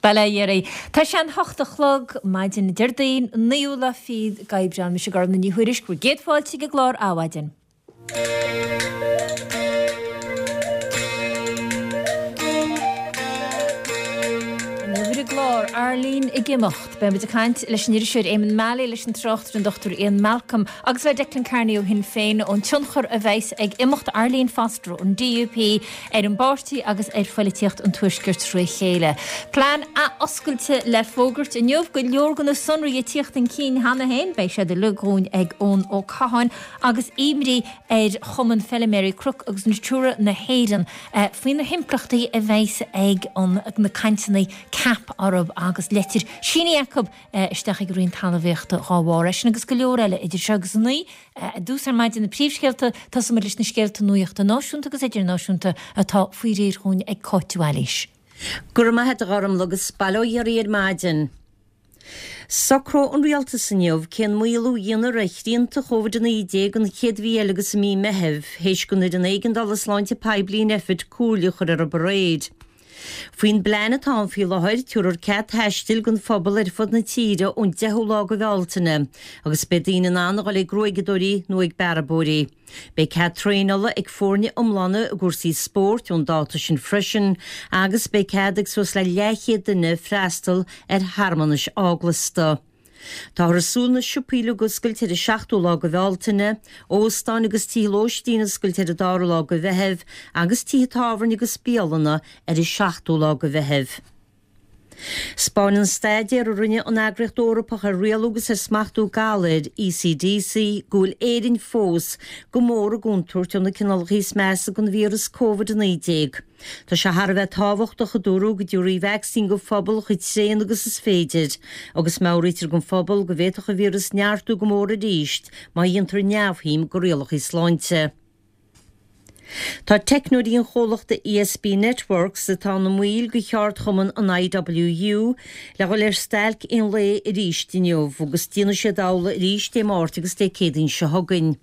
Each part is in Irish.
Bail ó Dhia oraibh. Tá sé an hocht a chlog, maidin Déardaoin, naoú lá fichead d'Aibreán. Mise Gormfhlaith Ní Thuairisg, bhur gcéad fáilte ag an gclár Adhmhaidin. Inniu ar an gclár, Arlene ag imeacht. Beidh muid ag caint leis an iriseoir Eamonn Mallie, leis an tráchtaire an Dr Ian Malcolm agus le Declan Kearney ó Shinn Féin ón tionchar a bheas ag imeacht Arlene Foster ón DUP ar an bpáirtí agus ar phoilitíocht an Tuaiscirt tré chéile. Plean athoscailte le fógairt inniu, go leor de na sonraí ag tíocht chun cinn cheana féin. Beidh siad uilig dhúinn ag Eoin Ó Catháin agus imní ar Chumann Feiliméaraí Cnoc agus Natura na hÉireann faoi na himpleachtaí a bheas ag na cainteanna CAP orthu agus leitir sínithe acu isteach ag an Roinn Talmhaíochta dhá bharr. É sin agus go leor eile idir seo agus a naoi. I dtús ar maidin na príomhscéalta, tosóidh muid leis na scéalta nuachta náisiúnta agus idirnáisiúnta atá faoi réir dhúinn ag Cáit Mhaoilís. Go raibh maith a't a Ghormfhlaith agus bail ó Dhia oraibh ar maidin. Socróidh an Rialtas inniu cén maolú a dhéanfar ar shrianta Covid-19 an chéad mhí eile agus i mí Meithimh, théis don Fhoireann Éigeandála Sláinte Poiblí in Nphet comhairle a chur orthu aréir. Faoin bplean atá ann faoi láthair, tabharfar cead taistil don phobal ar fud na tíre ón 10ú lá de Bhealtaine agus beidh daoine in ann a dhul ag gruaigeadóirí nó ag bearbóirí. Beidh cead traenála ag foirne iomlána i gcúrsaí spóirt ón dáta sin freisin agus beidh cead ag suas le leathchéad duine freastal ar shearmanais eaglasta. Táthar ag súil na siopaí uilig a oscailt ar an seachtú lá de Bhealtaine, óstáin agus tithe lóistín a oscailt ar an dara lá de Mheitheamh agus tithe tábhairne agus bialanna ar an seachtú lá de Mheitheamh. 'Spáineann staidéar a rinne an Eagraíocht Eorpach ar Rialú agus ar Smachtú Galair, ECDC, go bhfuil Éirinn fós go mór i gcontúirt ó na cineálacha is measa den víreas Covid-19. Tá sé thar a bheith tábhachtach, a dúradh, go dtabharfaí vacsaín don phobal chomh tréan agus is féidir, agus meabhraítear don phobal go bhféadfadh an víreas neartú go mór arís má dhéantar neamhshuim de rialacha sláinte. Tá teicneoirí an chomhlachta ESB Networks, atá ina mbaill de cheardchumann an IWU, le dhul ar stailc aon lae arís inniu, agus déanfaidh siad amhlaidh arís Dé Máirt agus Dé Céadaoin seo chugainn.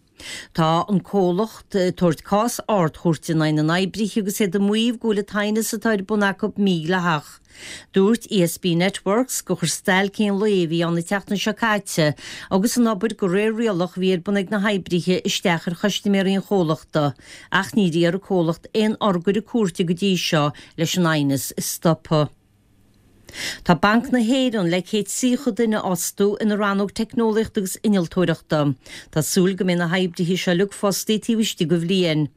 Tá an comhlacht ag tabhairt cás ardchúirte in aghaidh na n-oibrithe agus iad ag maíomh go bhfuil an t-aighneas atá ar bun acu mídhleathach. Dúirt ESB Networks gur chuir stailc aon lae a bhí ann an tseachtain seo caite agus an obair de réir rialach a bhí ar bun ag na hoibrithe isteach ar chustaiméirí an chomhlachta ach níor iarr an comhlacht aon urghaire cúirte go dtí seo leis an aighneas a stopadh. Tá Banc na hÉireann le 130 duine a fhostú ina rannóg teicneolaíochta agus innealtóireachta. Tá súil go mbeidh na hoibrithe seo uilig fostaithe taobh istigh de bhliain.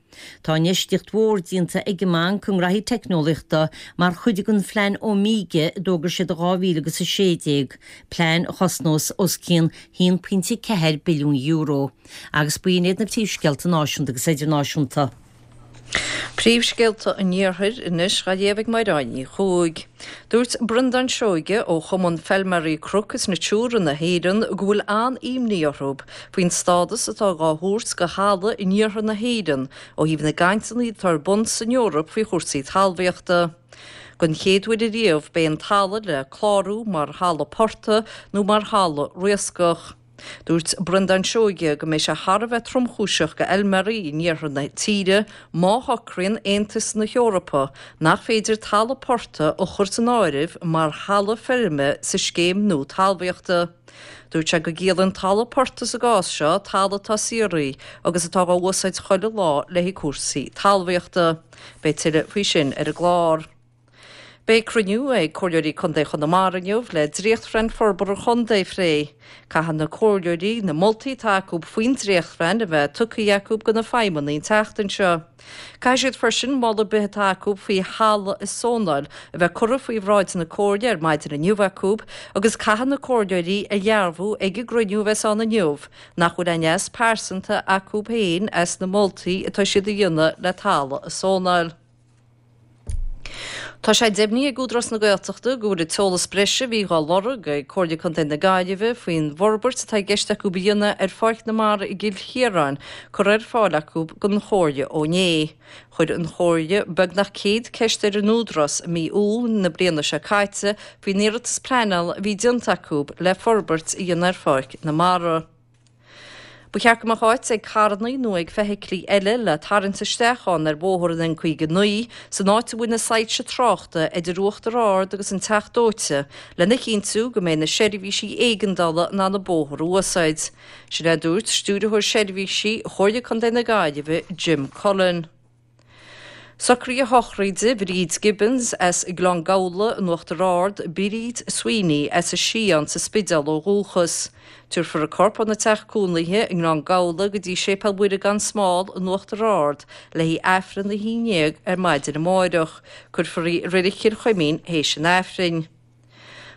Tá infheistíocht mhór déanta ag an mbanc i ngraithí teicneolaíochta mar chuid den phlean Omega a d'fhógair siad i 2016, plean a chosnós os cionn €1.4 billiún. Agus b'in iad na príomhscéalta náisiúnta agus idirnáisiúnta. Príomhscéalta an Iarthair anois dhá léamh ag Mairéad Ní Chuaig. Dúirt Breandán Seoige ó Chumann Feilméaraí Cnoc is Natura na hÉireann go bhfuil an-imní orthu faoin stádas atá dhá thabhairt do thalamh in iarthar na hÉireann ó thaobh na gcainteanna atá ar bun san Eoraip faoi chúrsaí talmhaíochta. Don chéad uair ariamh beidh an talamh le clárú mar thalamh portaigh nó mar thalamh riascach. Dúirt Breandán Seoige go mbeidh sé thar a bheith tromchúiseach do fheilméaraí in iarthar na tíre má shocraíonn Aontas na hEorpa nach féidir talamh portaigh a chur san áireamh mar thalamh feirme sa scéim nua talmhaíochta. Dúirt sé go gciallaíonn talamh portaigh sa gcás seo talamh atá saothraithe agus atá dhá úsáid chuile lá le haghaidh cúrsaí talmhaíochta. Beidh tuilleadh faoi sin ar an gclár. Beidh cruinniú ag Comhairleoirí Contae Chonamara inniu le dréachtphlean forbartha an chontae a phlé. Caithfidh na comhairleoirí na moltaí atá acu faoin dréachtphlean a bheith tugtha acu do na feidhmeannaigh an tseachtain seo. Caithfidh siad freisin moladh ar bith atá acu faoi thalamh a zónáil a bheith curtha faoi bhráid na comhairle ar maidin inniu acu agus caithfidh na comhairleoirí a dhearbhú ag an gcruinniú a bheas ann inniu nach bhfuil aon leas pearsanta acu féin as na moltaí atá siad a dhéanamh le talamh a zónáil. Tá sé deimhnithe ag Údarás na Gaeltachta go bhfuil an t-eolas breise a bhí dhá lorg ag Comhairle Contae na Gaillimhe faoin bhforbairt atá i gceist acu a dhéanamh ar Pháirc na Mara i gCill Chiaráin curtha ar fáil acu don Chomhairle ó inné. Chuir an Chomhairle beagnach 100 ceist ar an Údarás i mí Iúil na bliana seo caite faoin iarratas pleanála a bhí déanta acu le forbairt a dhéanamh ar Pháirc na Mara. Ba cheart go mbeadh áit ag carrannaí nó ag feithiclí eile le tarraingt isteach ann ar bhóthar an N59 san áit a bhfuil na soilse tráchta idir Uachtar Ard agus an Teach Dóite lena chinntiú go mbeidh na seirbhísí éigeandála in ann an bóthar a úsáid. Sin é a dúirt Stiúrthóir Seirbhísí Chomhairle Contae na Gaillimhe, Jim Cullen. Socruithe sochraide Bhríd Gibbons as Gleann Gabhla in Uachtar Ard, Bríd Sweeney as an Sián sa Spidéal ó dhúchas. Tabharfar a corp óna teach cónaithe i nGleann Gabhla go dtí Séipéal Mhuire gan Smál in Uachtar Ard le haghaidh Aifreann a 11 ar maidin amáireach. Cuirfear í i Reilig Chill Chuimín théis an Aifrinn.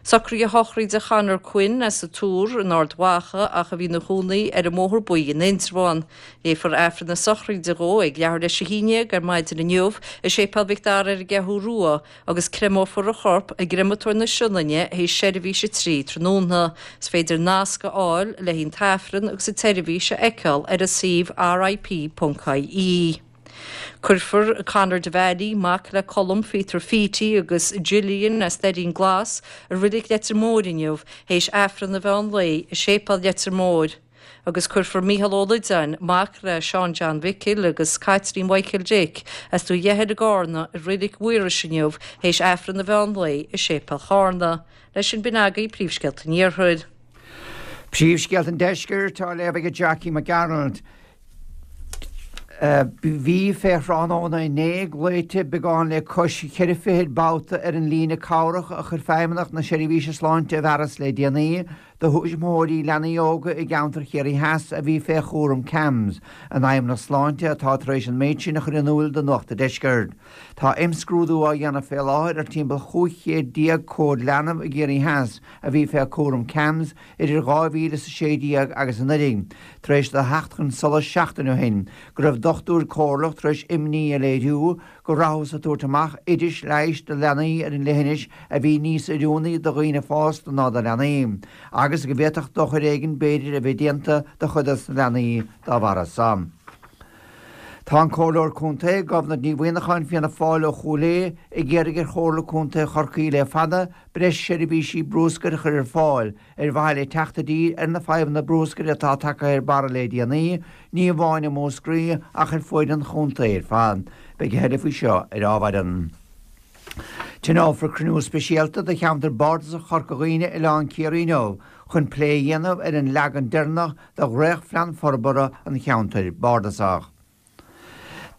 Socruithe sochraide Chonor Quinn as an Túr in Ard Mhacha ach a bhí ina chónaí ar an mBóthar Buí in Indreabhán. Léifear Aifreann na sochraide dhó ag leathuair théis a haon dhéag ar maidin inniu i Séipéal Mhic Dara ar an gCeathrú Rua agus créamófar a chorp i gCreamatóir na Sionainne théis seirbhís a 3 tráthnóna. Is féidir nasc a fháil le haghaidh an t-aifreann agus an tseirbhís a fheiceáil ar an suíomh rip.ie. Cuirfear Conor Devaney, mac le Colm Phíotair Phítí agus Gillian as Doirín Glas, i Reilig Leitir Móir inniu théis Aifreann an mheán lae i Séipéal Leitir Móir agus cuirfear Mícheál Ó Loideáin, mac le Seán John Mhicil agus Caitlín Mhichael Dick as Dumhaigh Eithir i gCárna i Reilig Mhaorais inniu théis Aifreann an mheán lae i Séipéal Chárna. Leis sin b'in agaibh Príomhscéalta an Iarthair. Príomhscéalta an Deiscirt á léamh ag Jackie Mac Gearailt. Bhí fé thráthnóna inné glaoite beagán le cois cheithre fichid babhta ar an líne cabhrach a chuir Feidhmeannacht na Seirbhíse Sláinte i bhfearas le déanaí do thuismitheoirí leanaí óga i gceantar Chiarraí Theas a bhí fé chúram CAMHS, an Fheidhmeannacht Sláinte atá tar éis an méid sin a chur in iúil do Nuacht a' Deiscirt. Tá imscrúdú á dhéanamh fé láthair ar timpeall 15 chéad comhad leanbh i gCiarraí Theas a bhí fé chúram CAMHS idir 2016 agus anuraidh, tar éis do theacht chun solais seachtain ó shin go raibh dochtúir comhairleach tar éis imní a léiriú go rabhthas ag tabhairt amach oidis leighis do leanaí ar an leithinis a bhí níos oiriúnaí do dhaoine fásta ná do leanaí, agus go bhféadfadh dochar éigin b'fhéidir a bheith déanta do chuid dos na leanaí dá bharra san. Tá an Comhairleoir Contae, Gobnait Ní Mhuineacháin, Fianna Fáil ó Chúil Aodha, ag iarraidh ar Chomhairle Contae Chorcaí le fada breis seirbhísí brúscair a chur ar fáil ar mhaithe le teacht i dtír ar na fadhbanna brúscair atá tagtha ar barra le déanaí, ní amháin i Múscraí ach ar fuaid an chontae ar fad. Beidh a thuilleadh faoi seo ar ámhaireann. Tionólfar cruinniú speisialta do cheantar bardasach Chorca Dhuibhne, Oileán Ciarraí inniu chun plé a dhéanamh ar an leagan deireanach de dhréachtphlean forbartha an cheantair bardasach.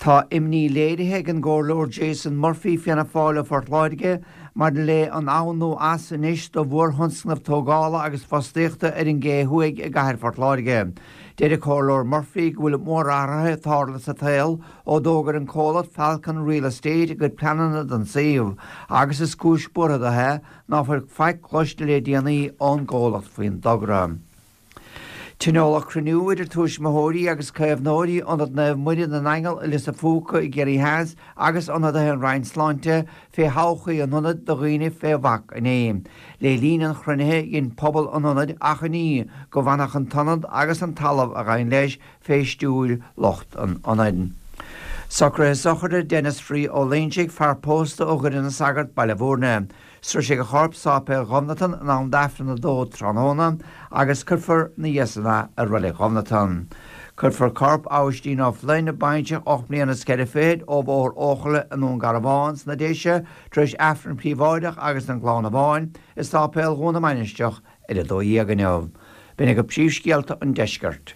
Tá imní léirithe ag an gComhairleoir Jason Murphy, Fianna Fáil ó Phort Láirge, maidir le an ann nó as anois do mhórthionscnamh tógála agus fostaíochta ar an gCé Thuaidh i gcathair Phort Láirge. Deir an Comhairleoir Murphy go bhfuil mórathruithe ag tarlú sa tsaol ó d'fhógair an comhlacht Falcon Real Estate a gcuid pleananna don suíomh agus is cúis buartha dó é ná fuil faic cloiste le déanaí ón gcomhlacht faoin dtogra. Tionóladh cruinniú idir tuismitheoirí agus caomhnóirí Ionad Naomh Muire na nAingeal i Lios a' Phúca i gCiarraí Theas agus ionadaithe an Roinn Sláinte fé thodhchaí an ionaid do dhaoine fé bhac inné. Le linn an chruinnithe dhein pobal an ionaid achainí go bhfanfadh an t-ionad agus an talamh a ghabhann leis fé stiúir lucht an ionaid. Socruithe sochraide Denis Free Ó Loingsigh, fear pósta ó Dhoire na Sagart, Baile Bhúirne. Sroisfidh a chorp Sáipéal Ghobnatan in am d'Aifreann 2 tráthnóna agus cuirfear 'na dhiaidh san é i Reilig Ghobnatan. Cuirfear corp Abhaistín Ó Floinn, baintreach 8 mbliana is 4 fichid, ó Bhóthar Eochaille i nDún Garbhán sna Déise tar éis Aifreann príobháideach agus an gclann amháin i Sáipéal Dhún na Mainistreach ar 12 inniu. B'in agaibh príomhscéalta an deiscirt.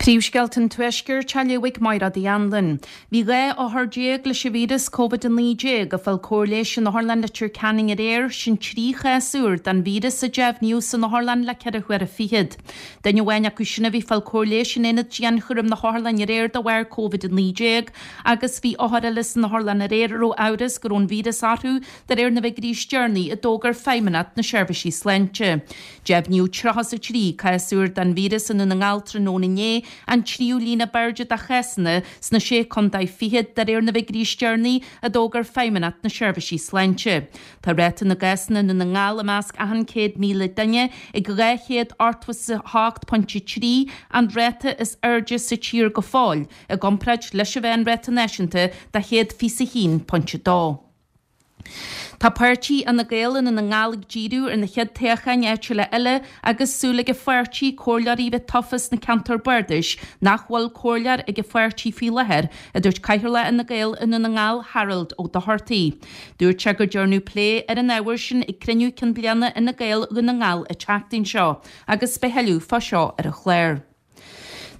Príomhscéalta an Tuaiscirt á léamh ag Mairéad Uí Anluain. Bhí 12 othar leis an víreas Covid-19 ag fáil cóir leighis in Otharlann Leitir Ceanainn aréir, sin 3 chás úr den víreas a deimhníodh san otharlann le ceithre huaire fichead. Duine amháin acu sin a bhí ag fáil cóir leighis in aonad dianchúraim na hotharlainne aréir de bharr Covid-19 agus bhí othar eile san otharlann aréir a raibh amhras go raibh an víreas orthu de réir na bhfigiúirí is deireanaí a d'fhógair Feidhmeannacht na Seirbhísí Sláinte. Deimhníodh 33 cás úr den víreas i nDún na nGall tráthnóna inné, an tríú líon ab airde de chásanna sna Sé Contae Fichead de réir na bhfigiúirí is deireanaí a d'fhógair Feidhmeannacht na Seirbhísí Sláinte. Tá ráta na gcásanna i nDún na nGall i measc achan 100,000 duine ag 288.3, an ráta is airde sa tír go fóill, i gcomparáid leis an mheánráta náisiúnta de 121.2. Tá páirtí Fhine Gael i nDún na nGall ag díriú ar na chéad toghcháin áitiúla eile agus súil ag an pháirtí comhairleoirí a bheith tofa sna ceantair bardais nach bhfuil comhairleoir ag an pháirtí faoi láthair, a dúirt Cathaoirleach Fhine Gael i Ndún na nGall, Harold Ó Dochartaigh. Dúirt sé gur dearnadh plé ar an ábhar sin ag cruinniú cinn bliana Fhine Gael Dhún na nGall an tseachtain seo agus beidh thuilleadh fá seo ar an chlár.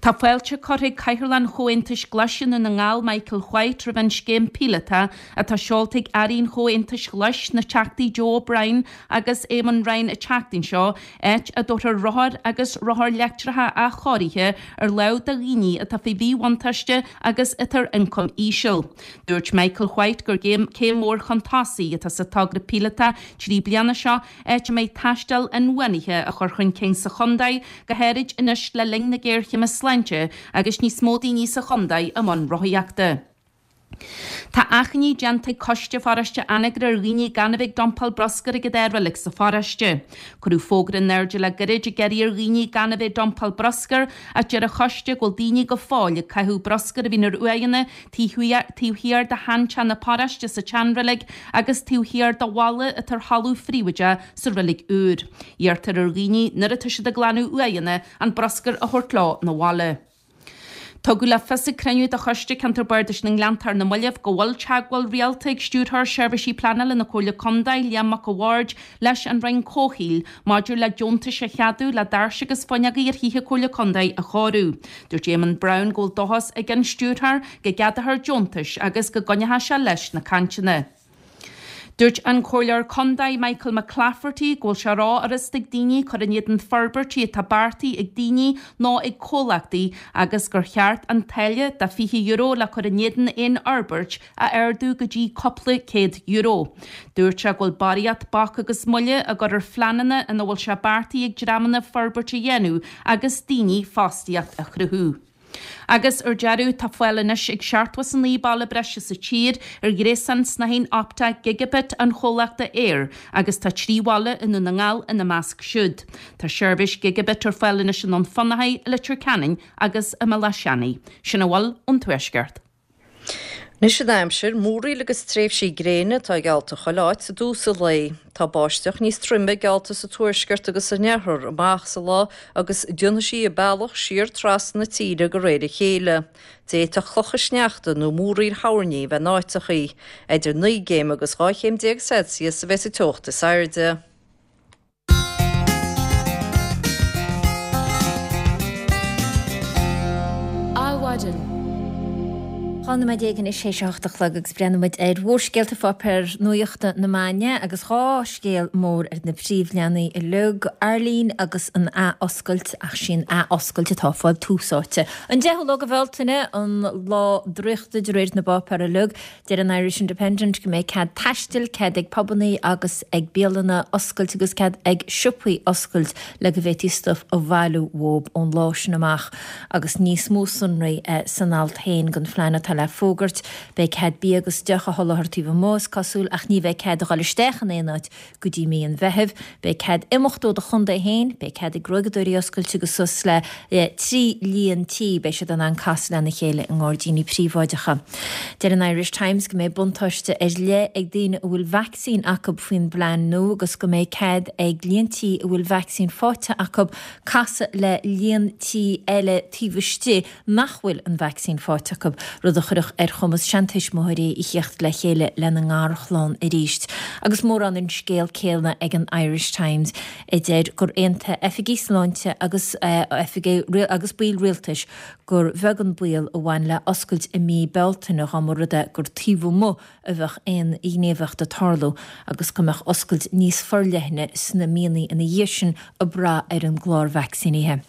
Tá fáilte curtha ag Cathaoirleach an Chomhaontais Ghlais i Ndún na nGall, Michael White, roimh an scéim píolótach atá seolta ag Airí an Chomhaontais Ghlais, na Teachtaí Joe O'Brien agus Eamon Ryan an tseachtain seo, áit a dtabharfar rothair agus rothair leictreacha athchóirithe ar láimh do dhaoine atá faoi mhíbhuntáiste agus atá ar ioncam íseal. Dúirt Michael White gur céim mhór chun tosaigh atá sa togra píolótach 3 bliana seo, áit a mbeidh taisteal inbhuanaithe á chur chun cinn sa chontae, go háirid anois le linn na géarchéime sláinte agus níos mó daoine sa chontae i mbun rothaíochta. Tá achainí déanta ag Coiste Pharóiste Anagaire ar dhaoine gan a bheith ag dumpáil bruscair ag an dá reilig sa pharóiste. Cuireadh fógra in airde le gairid ag iarraidh ar dhaoine gan a bheith ag dumpáil bruscair ach deir an choiste go bhfuil daoine go fóill ag caitheamh bruscair a bhíonn ar uaigheanna taobh thiar de sheanteach na paróiste sa tseanreilig agus taobh thiar de bhalla atá ar thalamh phríobháideach sa reilig úr. Iarrtar ar dhaoine nuair atá siad ag glanadh uaigheanna an bruscar a thabhairt leo 'na bhaile. Tugadh le fios ag cruinniú de Choiste Ceantar Bardais na nGleanntach ar na mallaibh go bhfuil teagmháil rialta ag Stiúrthóir Seirbhísí Pleanála na Comhairle Contae, Liam Mac a' Bhaird, leis an Roinn Comhshaoil maidir le deontais a cheadú le doirse agus fuinneogaí ar thithe Comhairle Contae a chóiriú. Dúirt Éamonn Brown go bhfuil dóchas ag an Stiúrthóir go gceadófar deontais agus go gcoinneoidh sé leis na cainteanna. Dúirt an Comhairleoir Contae Michael McClafferty go bhfuil sé ró-fhurasta ag daoine cur in éadan forbairtí atá beartaithe ag daoine nó ag comhlachtaí agus gur cheart an táille de €20 le cur in éadan aon fhorbairt a ardú go dtí cúpla €100. Dúirt sé go bhfuil barraíocht bac agus moille á gcur ar phleananna ina bhfuil sé beartaithe ag dreamanna forbairt a dhéanamh agus daoine fostaíocht a chruthú. Agus ar deireadh, tá fáil anois ag 79 baile breise sa tír ar ghréasán snáithín optach gigabit an chomhlachta Eir agus tá 3 bhaile i nDún na nGall ina measc siúd. Tá seirbhís gigabit ar fáil anois i nDún Fionnachaidh, i Leitir Ceanainn agus i mBealach Seanaidh. Sin a bhfuil ón Tuaisceart. Anois an aimsir, múraíl agus tréimhsí gréine atá geallta chuile áit i dtús an lae. Tá báisteach níos troime geallta sa tuaisceart agus san iarthar amach sa lá agus déanfaidh sí a bealach siar trasna na tíre de réir a chéile. D'fhéadfadh clocha sneachta nó múraíl thoirní a bheith in áiteachaí. Idir 9 gcéim agus 12 chéim Celsius a bheas an teocht is airde. Adhmhaidin. 12 nóiméad anois théis a hocht a chlog agus breathnóidh muid ar mhórscéalta pháipéir nuachta na maidine agus dhá scéal mór ar na príomhleathanaigh uilig, Arlene agus an ath-oscailt ach sí an ath-oscailt atá ag fáil tús áite. An 10ú lá de Bhealtaine, an lá draíochta de réir na bpáipéar uilig. Deir an Irish Independent go mbeidh cead taistil, cead ag pubannaí agus ag bialanna oscailt agus cead ag siopaí oscailt le go bhféadfaí stuif a bhailiú uathub ón lá sin amach agus níos mó sonraí san alt féin den phlean atá le fógairt. Beidh cead bia agus deoch a sholáthar taobh amuigh, is cosúil, ach ní bheidh cead a dhul isteach in aon áit go dtí mí an Mheithimh. Beidh cead imeacht ó do chontae féin, beidh cead ag gruaigeadóirí oscailt agus suas le 3 líon tí, beidh siad in ann casadh lena chéile i ngairdíní príobháideacha. Deir an Irish Times go mbeidh buntáiste ar leith ag daoine a bhfuil vacsaín acu faoin bplean nua agus go mbeidh cead ag líon tí a bhfuil vacsaín faighte acu casadh le líon tí eile taobh istigh nach bhfuil an vacsaín faighte acu, rud a chuirfeadh ar chumas seantuismitheoirí a thíocht le chéile lena ngarchlann arís. Agus mórán an scéal céanna ag an Irish Times, a deir gur aontaigh oifigigh sláinte agus oifigigh agus baill rialtais gur bheag an baol a bhain le oscailt i mí Bealtaine dá mba rud é gur taobh amuigh a bheadh aon ghníomhaíocht ag tarlú agus go mbeadh oscailt níos forleithne sna míonna ina dhiaidh sin ag brath ar an gclár vacsaínithe.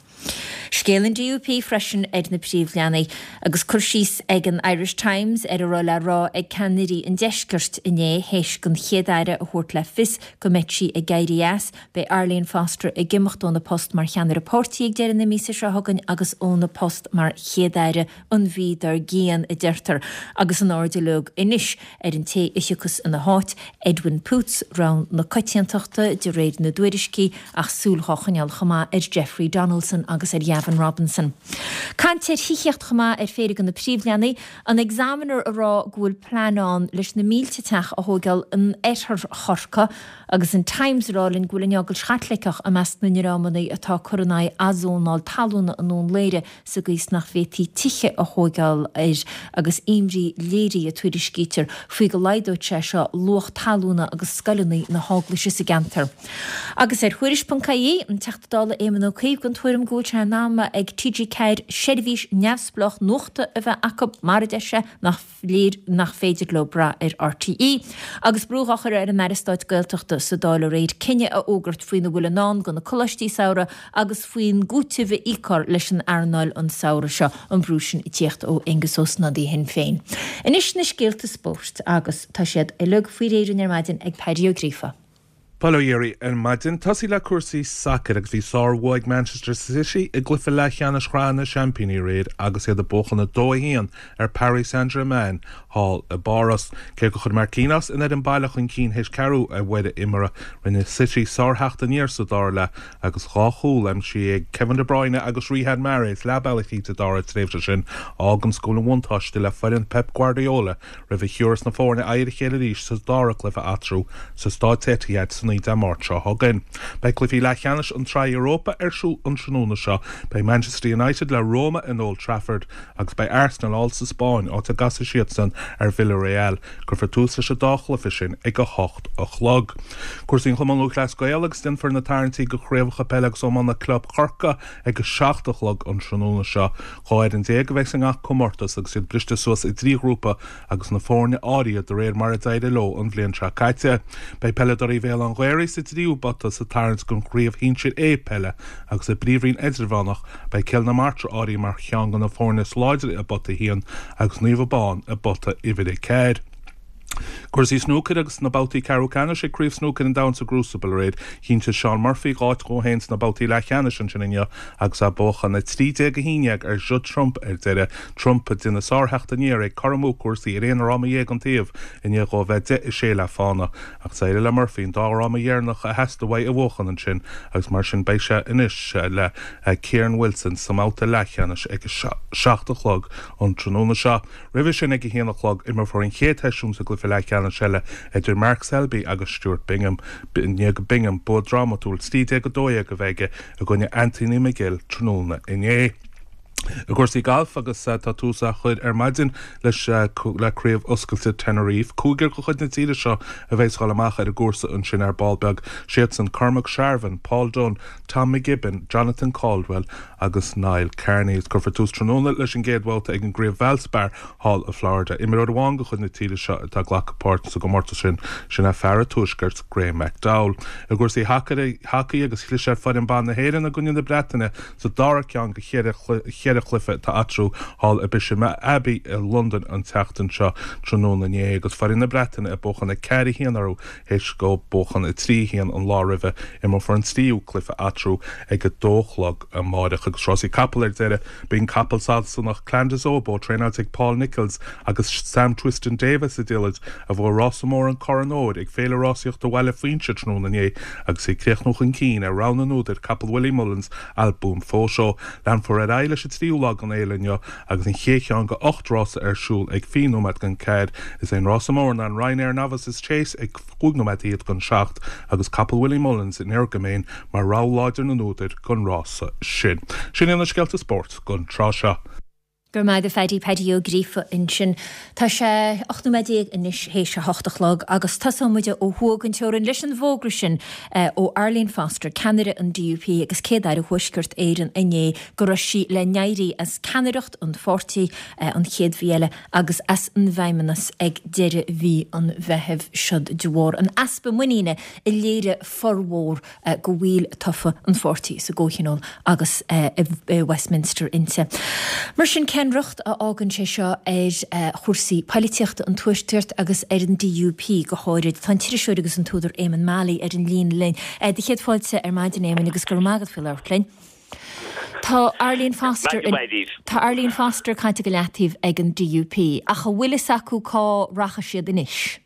Scéal an DUP freisin ar na príomhleathanaigh, agus cur síos ag an Irish Times ar a raibh le rá ag ceannairí an deiscirt inné théis don Chéad-Aire a thabhairt le fios go mbeidh sí ag éirí as. Beidh Arlene Foster ag imeacht óna post mar cheannaire páirtí ag deireadh na míosa seo chugainn agus óna post mar Chéad-Aire an mhí dár gcionn, a deirtear, agus an aird uilig anois ar an té a thiocfas ina háit, Edwin Poots, rogha na coitiantachta de réir na dtuairiscí, ach súil dhá choinneáil chomh maith ar Jeffrey Donaldson. agus ar Ghavin Robinson. Caint ar thithíocht chomh maith ar phéire de na príomhleathanaigh, an Examiner ag rá go bhfuil plean ann leis na mílte teach a thóigeáil in oirthear Chorcaí agus an Times ag rá linn go bhfuil an Eaglais Chaitliceach i measc na ndreamanna atá ag cur in aghaidh athzónáil talúna i nDún Laoghaire sa gcaoi is nach bhféadfaí tithe a thóigeáil air agus imní léirithe, tuairiscítear, faoi go laghdóidh sé seo luach talúna agus scoileanna na hEaglaise sa gceantar. Agus ar Thuairisc.ie, an Teachta Dála Éamon Ó Cuív den tuairim go bhfuil sé in am ag TG4 seirbhís neamhspleách nuachta a bheith acu mar a deir sé nach léir nach féidir leo brath ar RTÉ. Agus brú á chur ar an Aire Stáit Gaeltachta sa Dáil aréir cinneadh a fhógairt faoina bhfuil i ndán do na coláistí samhraidh agus faoin gcúiteamh a íocfar leis an earnáil an samhradh seo, an brú sin ag tíocht ó Aengus Ó Snodaigh Shinn Féin. Anois na scéalta spóirt agus tá siad uilig faoi réir ar maidin ag Paddy Ó Gríofa. Bail ó Dhia oraibh ar maidin. Tosaí le cúrsaí sacair agus bhí sár-bhua ag Manchester City i gcluiche leathcheannais Shraith na Seaimpíní aréir agus iad ag buachan 2-1 ar Paris Saint-Germain thall i bPáras. Cé gur chuir Marquinhos an fhoireann baile chun cinn théis ceathrú uaire imeartha, rinne City sár-theacht aniar sa dara leath agus dhá chúl aimsithe ag Kevin De Bruyne agus Riyad Mahrez leath bealaigh tríd an dara tréimhse sin a fháganns go bhfuil an bhuntáiste le foireann Pep Guardiola roimh a thiúrfas na foirne aghaidh ar a chéile arís sa dara cluiche eatarthu sa Stáid Etihad san oíche Dé Máirt seo chugainn. Beidh cluichí leathcheannais an tSraith Europa ar siúl an tráthnóna seo. Beidh Manchester United le Roma in Old Trafford agus beidh Arsenal thall sa Spáinn, áit a gcasfaidh siadsan ar Villarreal. Cuirfear tús leis an dá chluiche sin ag 8 a chlog. Cúrsaí an Chumann Lúthchleas Gael agus déanfar na tarraingtí do chraobhacha peile agus iomána club Chorcaí ag 7 a chlog an tráthnóna seo. 12 fhoireann a bheidh i ngach comórtas agus iad briste suas i dtrí ghrúpa agus na foirne áirithe de réir mar a d'éirigh leo an bhliain seo caite. Beidh peileadóirí Bhéal Átha'n Ghaorthaidh sa dtríú babhta sa tarraingt don Chraobh Shinsir A peile agus i bPríomhroinn Idirmheánach beidh Cill na Martra áirithe mar cheann de na foirne is láidre i bpota a haon agus Naomh Abán i bpota uimhir a ceathair. Cúrsaí snúcair agus sna babhtaí ceathrú ceannais ag Craobh Snúcair an Domhain sa gCrucible aréir, chinntigh Shaun Murphy áit dhó féin sna babhtaí leathcheannais ansin inniu agus é ag buachan 13 11 ar Judd Trump ar deireadh. Trump ag déanamh sártheacht aniar, ag cothromú cúrsaí ar aon fhráma dhéag an taobh i ndiaidh dhó a bheith 10 6 le fána. Ach d'éirigh le Murphy an dá fhráma dheireanach a theastaigh uaidh a bhuachan ansin agus mar sin beidh sé anois le Kyren Wilson sa mbabhta leathcheannais ag a 7 a chlog an tráthnóna seo. Roimhe sin ag a haon a chlog, imreofar an chéad sheisiún sa gcluiche leathcheannais eile idir Mark Selby agus Stuart Bingham, i ndiaidh do Bingham bua drámatúil 13 12 a bheith aige i gcoinne Anthony McGill tráthnóna inné. I gcúrsaí gailf agus tá tús á chur ar maidin leis le Craobh Oscailte Tenerife. Cúigear de chuid na tíre seo a bheas ag dul amach ar an gcúrsa ansin ar ball beag, siadsan Cormac Sharvin, Paul Dunne, Tom McGibbon, Jonathan Caldwell agus Niall Kearney. Is cuirfear tús tráthnóna leis an gcéad bhabhta ag an gCraobh Valspar thall i Florida. Imreoir amháin de chuid na tíre seo atá ag glacadh páirt sa gcomórtas sin, sin é fear an Tuaiscirt, Graeme McDowell. I gcúrsaí hacaí agus chlis ar foireann ban na hÉireann i gcoinne na Breataine sa dara ceann de cheithre chluiche atá eatarthu thall i Bisham Abbey i Londain an tseachtain seo tráthnóna inné agus foireann na Breataine ag buachan 4 1 orthu Théis dóibh buachan 3 1 an lá roimhe, imreofar an tríú cluiche eatarthu ag 2 a chlog amáireach. Agus rásaí capall ar deireadh, b'in capall Sasanach Clan Des Obeaux, traenáilte ag Paul Nicholls agus Sam Twiston-Davies sa diallait, a bhuaigh rása mór an Corn Óir ag Féile Rásaíochta Bhaile Fuinse tráthnóna inné agus é ag críochnú chun cinn ar rogha na n-údar, capall Willie Mullins, Al Boum Photo. Leanfar ar aghaidh leis an tríú lá den fhéile inniu agus an chéad cheann de 8 rása ar siúl ag 20 nóiméad don 4. Is é an rása mór ná an Ryanair Novices Chase ag 5 nóiméad fhichead don 7 agus capall Willie Mullins Energumene mar rogha láidir na n-údar don rása sin. Sin iad na scéalta spóirt don tráth seo. Go raibh maith agat a Phaddy, Paddy Ó Gríofa ansin. Tá sé 18 nóiméad anois théis a hocht a chlog agus tosóidh muid ó thuaidh den teorainn leis an bhfógra sin ó Arlene Foster, ceannaire an DUP agus Céad-Aire Thuaisceart Éireann inné go raibh sí le n-éirí as ceannaireacht an pháirtí an chéad mhí eile agus as an bhFeidhmeannas ag deireadh mhí an Mheithimh. Siod de bharr an easpa muiníne a léirigh formhór de bhaill tofa an pháirtí sa gComhthionól agus i Westminster inti. Mar sin, cén riocht a fhágann sé seo ar chúrsaí poilitíochta an Tuaiscirt agus ar an DUP go háirid? Tá an t-iriseoir agus an t-údar Éamonn Mallie ar an líne linn. Do chéad fáilte ar maidin, Éamoinn, agus go raibh maith agat faoi labhairt linn. Tá Arlene Foster Tá Arlene Foster caite go leataobh ag an DUP, ach an bhfuil fhios acu cá rachaidh siad anois?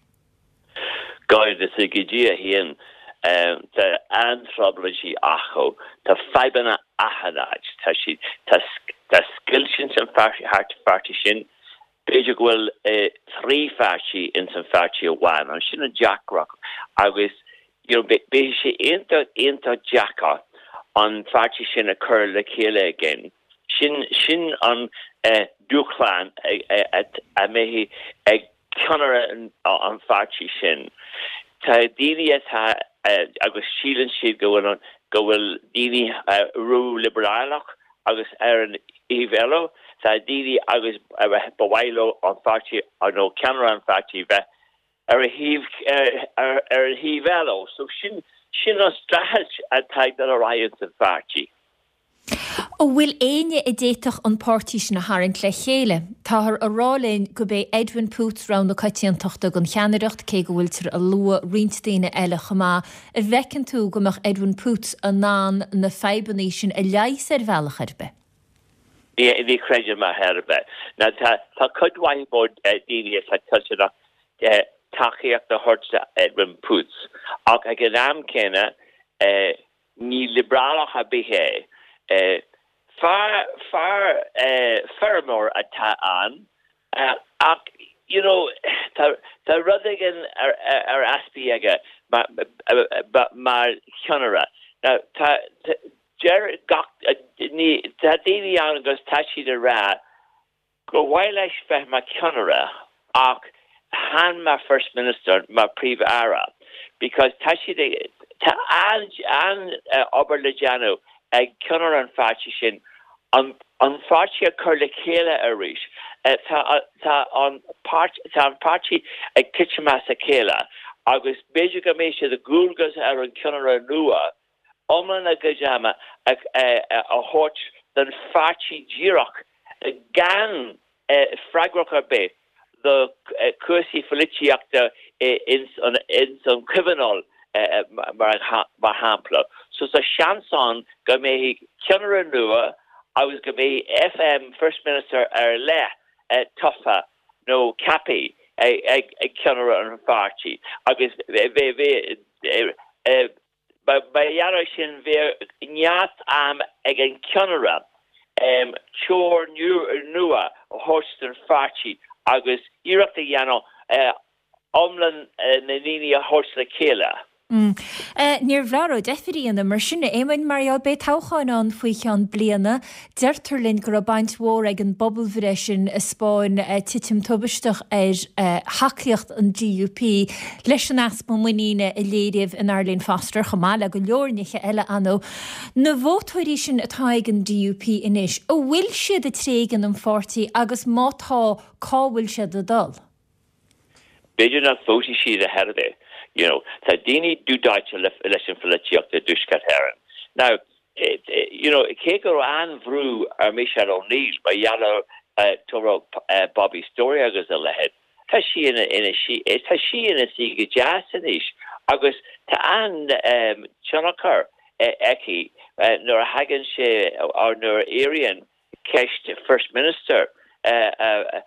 Go bhfios do Dhia féin. Tá an-trioblóidí acu. Tá fadhbanna achan áit. Tá siad, tá, tá scoilt ins an pháirtí sin. B'fhéidir go bhfuil 3 pháirtí ins an pháirtí amháin. An sin an deacracht agus you know beidh sé iontach, iontach deacair an pháirtí sin a chur le chéile again. Sin, sin an dúshlán a mbeidh ag ceannaire an pháirtí sin. Tá daoine atá agus síleann siad go bhfuil an, go bhfuil daoine ró-liobrálach agus ar an thaobh eile tá daoine agus ba mhaith leo an pháirtí nó ceannaire an pháirtí bheith ar a thaobh, ar an thaobh eile. So sin, sin an streachailt atá ag dul ar aghaidh ins an pháirtí. An bhfuil éinne a d'fhéadfadh an páirtí sin a tharraingt le chéile? Táthar a rá linn gurb é Edwin Poots rogha na coitiantachta don cheannaireacht, cé go bhfuiltear a lua roinnt daoine eile chomh maith. An bhfeiceann tú go mbeadh Edwin Poots in ann na fadhbanna sin a leigheas ar bhealach ar bith? Ní chreidim ar chor ar bith. Now tá tá cuid mhaith mór daoine atá toilteanach tacaíocht a thabhairt do Edwin Poots ach ag an am céanna Ní liobrálach ar bith é. Fear, fear, feirmeoir atá ann ach you know tá, tá rud éigin ar, ar easpa aige mar, mar cheannaire. Now tá, deir gach, ní, tá daoine ann agus tá siad ag rá Gur mhaith leis bheith mar cheannaire ach chan mar First Minister, mar Príomh-Aire because tá siad ag, tá an-obair le déanamh ag ceannaire an pháirtí sin an an pháirtí a chur le chéile arís. Tá tá an páirt, tá an páirtí ag titim as a chéile agus b'fhéidir go mbeidh sé de dhualgas ar an cheannaire nua iomlán a gcuid ama a thabhairt don pháirtí díreach gan freagracht ar bith do chúrsaí pholaitíochta ins an Chomhthionól mar shampla. So tá seans ann go mbeidh ceannaire nua agus go mbeidh FM, First Minister, ar leith tofa nó ceaptha ag ceannaire an pháirtí agus bheidh Mar gheall air sin bheadh neart am ag an cheannaire treoir nua a thabhairt don pháirtí agus iarracht a dhéanamh iomlán na ndaoine a thabhairt le chéile. Níorbh leor deifir a dhéanamh mar sin, a Éamoinn, mar gheall beidh toghcháin ann faoi cheann bliana. Deirtear linn go raibh baint mhór ag an bpobalbhreith sin a 'spáin titim tubaisteach ar thacaíocht an DUP leis an easpa muiníne a léiríodh in Arlene Foster, chomh maith le go leor nithe eile, ar ndóigh. Na vótóirí sin atá ag an DUP anois, an bhfuil siad ag tréigean an pháirtí agus má tá, cá bhfuil siad ag dul? B'fhéidir nach vótfaidh siad ar chor ar bith. You know, tá daoine dúdáite leis an pholaitíocht i dTuaisceart Éireann. Now, you know, cé go raibh an-bhrú ar Michelle O'Neill mar gheall ar toghadh Bobby Storey agus a leithéid, tá sí ina, ina, tá sí ina suí go deas anois agus tá an-tionchar aici nuair a thagann sé, or nuair a éiríonn ceist First Minister a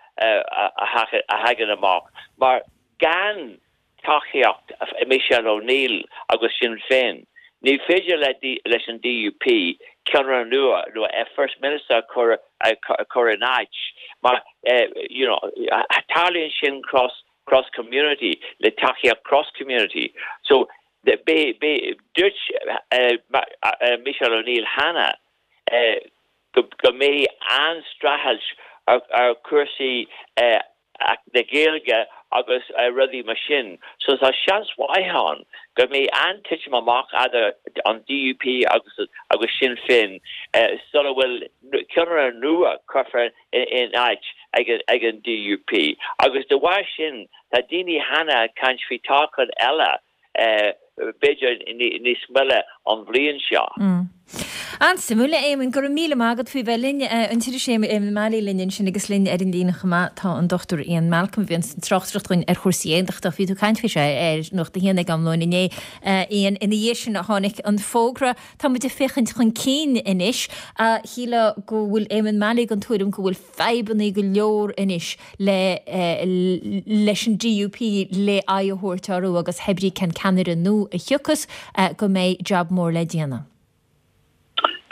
thagann amach mar gan tacaíocht Michelle O'Neill agus Sinn Féin ní féidir leis an DUP ceannaire nua nó First Minister a chur in áit mar you know tarlaíonn sin cross cross community le tacaíocht cross community so dúirt Michelle O'Neill cheana go mbeidh an-streachailt ar chúrsaí na Gaeilge agus rudaí mar sin. So tá seans mhaith ann go mbeidh an-titim amach idir an DUP agus agus Sinn Féin sula bhfuil ceannaire nua curtha in áit ag an DUP. Agus de bharr sin tá daoine cheana ag caint faoi toghchán eile b'fhéidir níos moille an bhliain seo. An-suimiúil, a Éamoinn. Go raibh míle maith agat faoi bheith linn. An t-iriseoir Éamonn Mallie linn ansin agus linn ar an líne chomh maith tá an Dr Ian Malcolm a bhíonn ag tráchtaireacht dhúinn ar chúrsaí aontachtach. Bhí tú ag caint faoi seo ar Nuacht a hAon ag am lóin inné, Ian. Ina dhiaidh sin a tháinig an fógra. Tá muid ag féachaint chun cinn anois. Shílfeá go bhfuil Éamonn Mallie den tuairim go bhfuil fadhbanna go leor anois le leis an DUP le aghaidh a thabhairt orthu agus hebrí cén ceannaire nua a thiocfas go mbeidh jab mór le déanamh.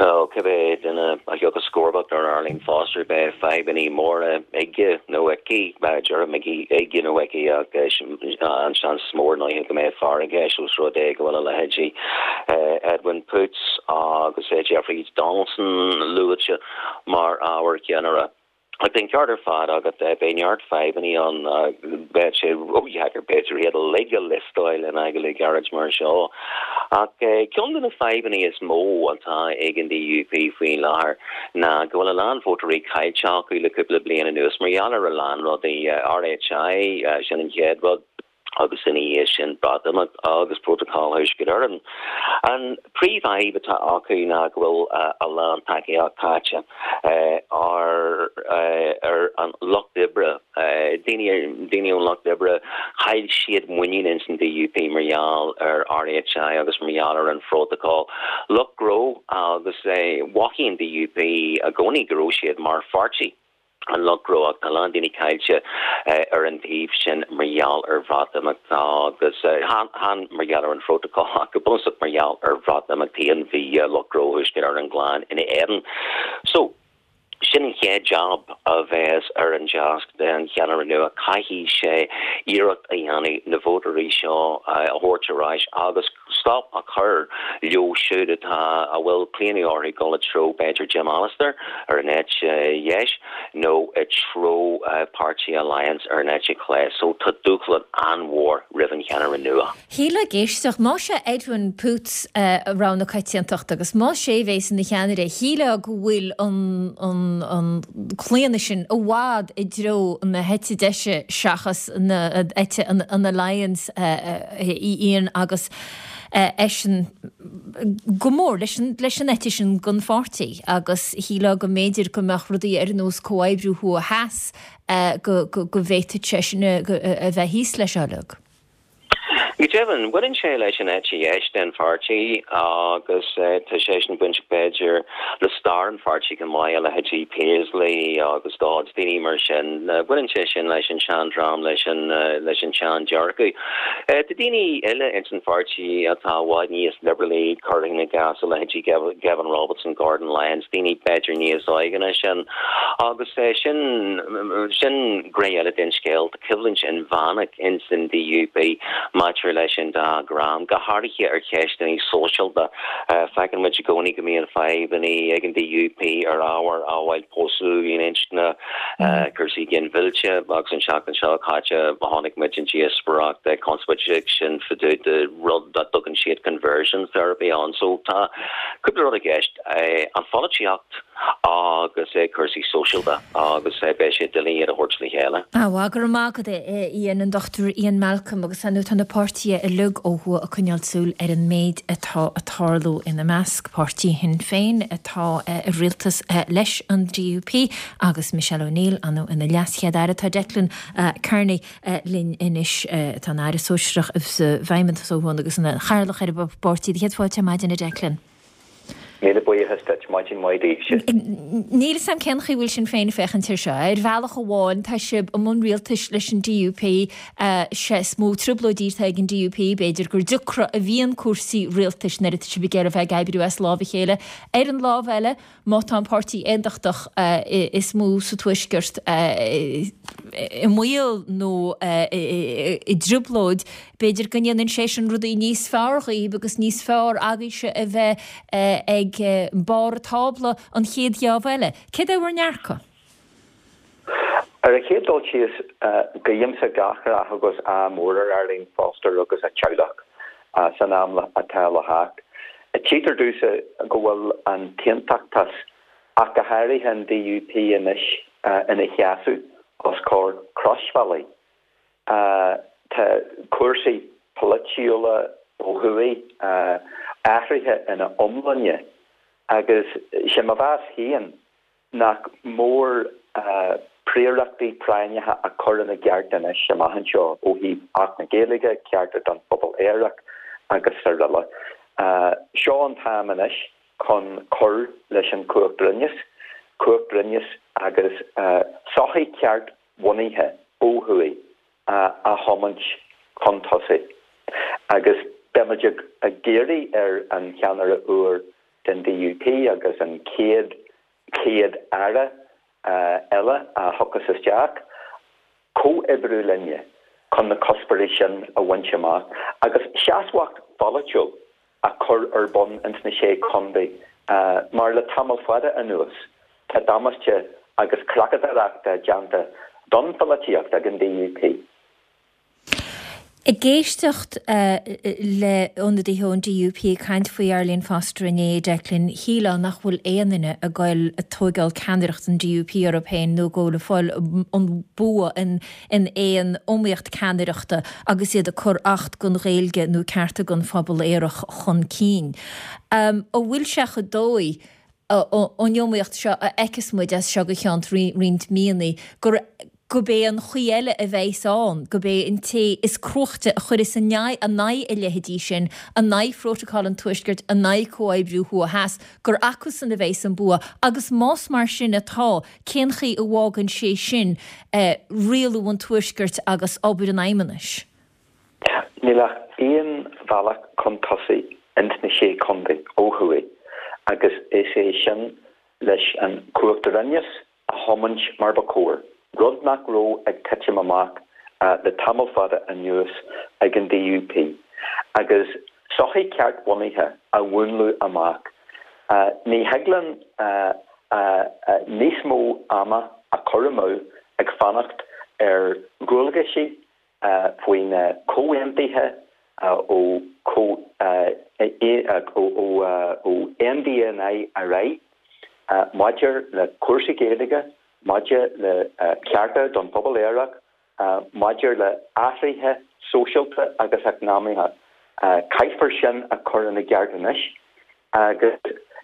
Bhuel, cibé duine a thiocfas comharbacht ar Arlene Foster, beidh fadhbanna móra aige nó aici, déarfainn aige nó aici ach an seans is mó ar ndóigh go mbeidh fear i gceist os rud é go bhfuil a leithéidí Edwin Poots agus Jeffrey Donaldson luaite mar ábhar ceannaire. Ach tá an ceart ar fad agat, beidh neart fadhbanna ann, beidh sé ródheacair b'fhéidir iad uilig a liostáil in agallamh gairid mar seo. Ach ceann de na fadhbanna is mó atá ag an DUP faoi láthair ná go bhfuil a lán vótóirí caillte acu le cúpla bliain anuas mar gheall ar a lán rudaí, RHI, sin an chéad rud. agus ina dhiaidh sin Breatimeacht agus Prótacal Thuaisceart Éireann. An príomhfhadhb atá acu ná go bhfuil a lán tacaíocht caite ar ar an lucht oibre, daoine daoine ón lucht oibre, chaill siad muinín ins an DUP mar gheall ar RHI agus mar gheall ar an Phrótacal. Lucht gnó agus mhothaigh an DUP i gcónaí go raibh siad mar pháirtí. an lucht gnó ach tá a lán daoine caillte ar an taobh sin mar gheall ar Bhreatimeacht agus chan mar gheall ar an Phrótacal ach go bunúsach mar gheall ar Bhreatimeacht féin bhí lucht gnó Thuaisceart Éireann glan ina éadan. So, sin an chéad jab a bheas ar an deasc den cheannaire nua, caithfidh sé iarracht a dhéanamh na vótóirí seo a thabhairt ar ais agus stop a chur leo siúd atá, a bhfuil claonadh orthu dul i dtreo b'fhéidir Jim Allister ar an eite dheis nó i dtreo Páirtí Alliance ar an eite chlé. So tá dúshlán an-mhór roimh an cheannaire nua. Shílfeá ag éisteacht, más é Edwin Poots rogha na coitiantachta agus más é a bhéas ina cheannaire, shílfeá go bhfuil an an an claonadh sin i bhfad i dtreo na heite deise seachas na eite an Alliance. Ian agus eisean go mór leis an leis an eite sin den pháirtí agus shílfeá go mb'fhéidir go mbeadh rudaí ar nós comhoibriú thuaidh theas go go go bhféadfadh seisean a bheith thíos leis seo uilig. Go deimhin, baineann sé leis an eite dheis den pháirtí agus tá sé sin bainteach b'fhéidir le stair an pháirtí go maith, a leithéidí Paisley agus Dodds, daoine mar sin. Baineann sé sin leis an seandream, leis an leis an sean-dearcadh. Tá daoine eile ins an pháirtí atá i bhfad níos liobrálaí, cuirfinn i gcás a leithéidí Gavin Robertson, Gordon Lyons, daoine b'fhéidir níos óige ná sin. Agus sin sin gné eile den scéal. coimhlint inmheánach ins an DUP maidir leis an dá dhream, go háirithe ar cheisteanna sóisialta. Feiceann muid i gcónaí go mbíonn fadhbanna ag an DUP ar ábhair amhail pósadh aon inscne, cúrsaí ginmhillte agus an tseachtain seo caite chonaic muid an díospóireacht conspóideach sin fá dtaobh de rud a dtugann siad conversion therapy ann. So tá cúpla rud i gceist, an pholaitíocht, agus cúrsaí sóisialta agus beidh sé doiligh iad a thabhairt le chéile. Bhuel, go raibh maith agat, a Ian, an Dr Ian Malcolm, agus ar ndóigh tá na páirtithe uilig ó thuaidh ag coinneáil súil ar an méid atá ag tarlú ina measc, páirtí Shinn Féin atá i rialtas leis an DUP agus Michelle O'Neill ar ndóigh ina leas-Chéad-Aire. Tá Declan Kearney linn anois, atá ina Aire Sóisearach sa bhFeidhmeannas ó thuaidh agus ina chathaoirleach ar an bpáirtí. Céad fáilte ar maidin, a Declan. Míle buíochas duit. Maidin mhaith daoibhse. Níl 'fhios a'm cén chaoi a bhfuil Sinn Féin ag féachaint air seo. Ar bhealach amháin, tá sibh i mbun rialtais leis an DUP, sé is mó trioblóidí atá ag an DUP, b'fhéidir gur deacra a bhíonn cúrsaí rialtais nuair atá sibh ag iarraidh a bheith ag oibriú as lámh a chéile. Ar an lámh eile, má tá an páirtí aontachtach is mó sa Tuaisceart i mbaol nó i dtrioblóid, b'fhéidir go ndéanann sé sin rudaí níos fearr dhaoibh agus níos fearr agaibhse a bheith ag barr an tábla an chéad gheábh eile. Céard é bhur ndearcadh? Ar an chéad dul síos, guímse gach rath agus ádh mór ar Arlene Foster agus a teaghlach san am atá le theacht. Tchítear domhsa go bhfuil an t-aontachtachas, ach go háirithe an DUP anois, ina sheasamh os comhair crosbhealaigh. Tá cúrsaí polaitiúla ó thuaidh athraithe ina iomláine. Agus sé mo mheas féin nach mór príorachtaí práinneacha a chur ina gceart anois amach anseo ó thaobh Acht na Gaeilge, cearta don phobal aerach agus araile. Seo an t-am anois chun cur leis an chumhachtroinneas, cumhachtroinneas agus sochaí ceart-bhunaithe ó thuaidh a thiomáint chun tosaigh. Agus beimid ag iarraidh ar an cheannaire úr den DUP agus an chéad Chéad-Aire eile a thiocfas isteach, comhoibriú linne chun na cuspóirí sin a bhaint amach agus seasmhacht pholaitiúil a chur ar bun ins na Sé Chontae mar le tamall fada anuas tá damáiste agus creachadóireacht déanta don pholaitíocht ag an DUP. Ag éisteacht le ionadaithe ón DUP ag caint faoi Arlene Foster inné, Declan, shílfeá nach bhfuil aon duine ag goil ag tóigeáil ceannaireacht an DUP orthu féin nó ag goil ag fáil an bua in aon iomaíocht ceannaireachta agus iad ag cur Acht don Ghaeilge nó cearta don phobal aerach chun cinn. An bhfuil sé chomh dóigh an iomaíocht seo a fheicfeas muid as seo go ceann roinnt míonna, gur gurb é an chaoi eile a bheas ann, gurb é an té is cruaichte a chuirfeas in aghaidh a leithéidí sin, in aghaidh Phrótacal an Tuaiscirt, in aghaidh comhoibriú thuaidh-theas, gur acusan a bheas an bua. Agus más mar sin atá, cén chaoi a bhfágann sé sin rialú an Tuaiscirt agus obair an Fheidhmeannais? Níl ach aon bhealach chun tosaigh ins na Sé Chontae ó thuaidh agus is é sin leis an chumhachtroinneas a thiomáint mar ba chóir, rud nach raibh ag titim amach le tamall fada anuas ag an DUP, agus sochaí ceart-bhunaithe a mhúnlú amach. Ní thig linn níos mó ama a chur amú ag fanacht ar dhualgaisí faoi na comhaontuithe ó NDNI ar aghaidh maidir le cúrsaí Gaeilge, maidir le cearta don phobal aerach, maidir le athruithe sóisialta agus eacnamaíocha. Caithfear sin a chur ina gceart anois agus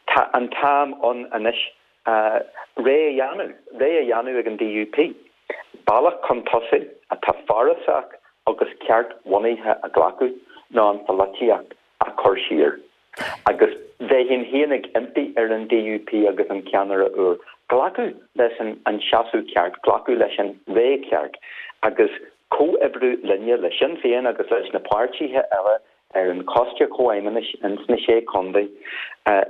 tá an t-am ann anois réidh a dhéanamh, réidh a dhéanamh ag an DUP. Bealach chun tosaigh atá forásach agus ceart-bhunaithe a ghlacadh ná an pholaitíocht a chur siar. Agus bheinn féin ag impí ar an DUP agus an ceannaire úr glacadh leis an seasamh ceart, glacadh leis an ré ceart agus comhoibriú linne, le Sinn Féin agus leis na páirtithe eile ar an Choiste Comhfheidhmeannais ins na Sé Chontae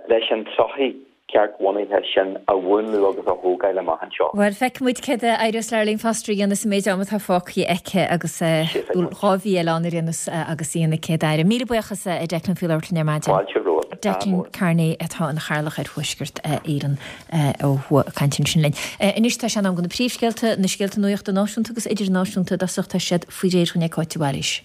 leis an tsochaí ceart-bhunaithe sin a mhúnlú agus a thógáil amach anseo. Bhuel, feicfidh muid céard a éireos le Arlene Foster a dhéanamh sa méid ama atá fágtha aici agus 2 mhí eile ann ar aon nós agus í ina Céad-Aire. Míle buíochas a Declan faoi labhairt linn ar maidin. Fáilte romhat. Declan Kearney atá ina chathaoirleach ar Thuaisceart Éireann ó thuaidh ag caint ansin linn. Anois tá sé in am do na príomhscéalta, na scéalta nuachta náisiúnta agus idirnáisiúnta i dtosach, tá siad faoi réir againn ag Cáit de Bhailís.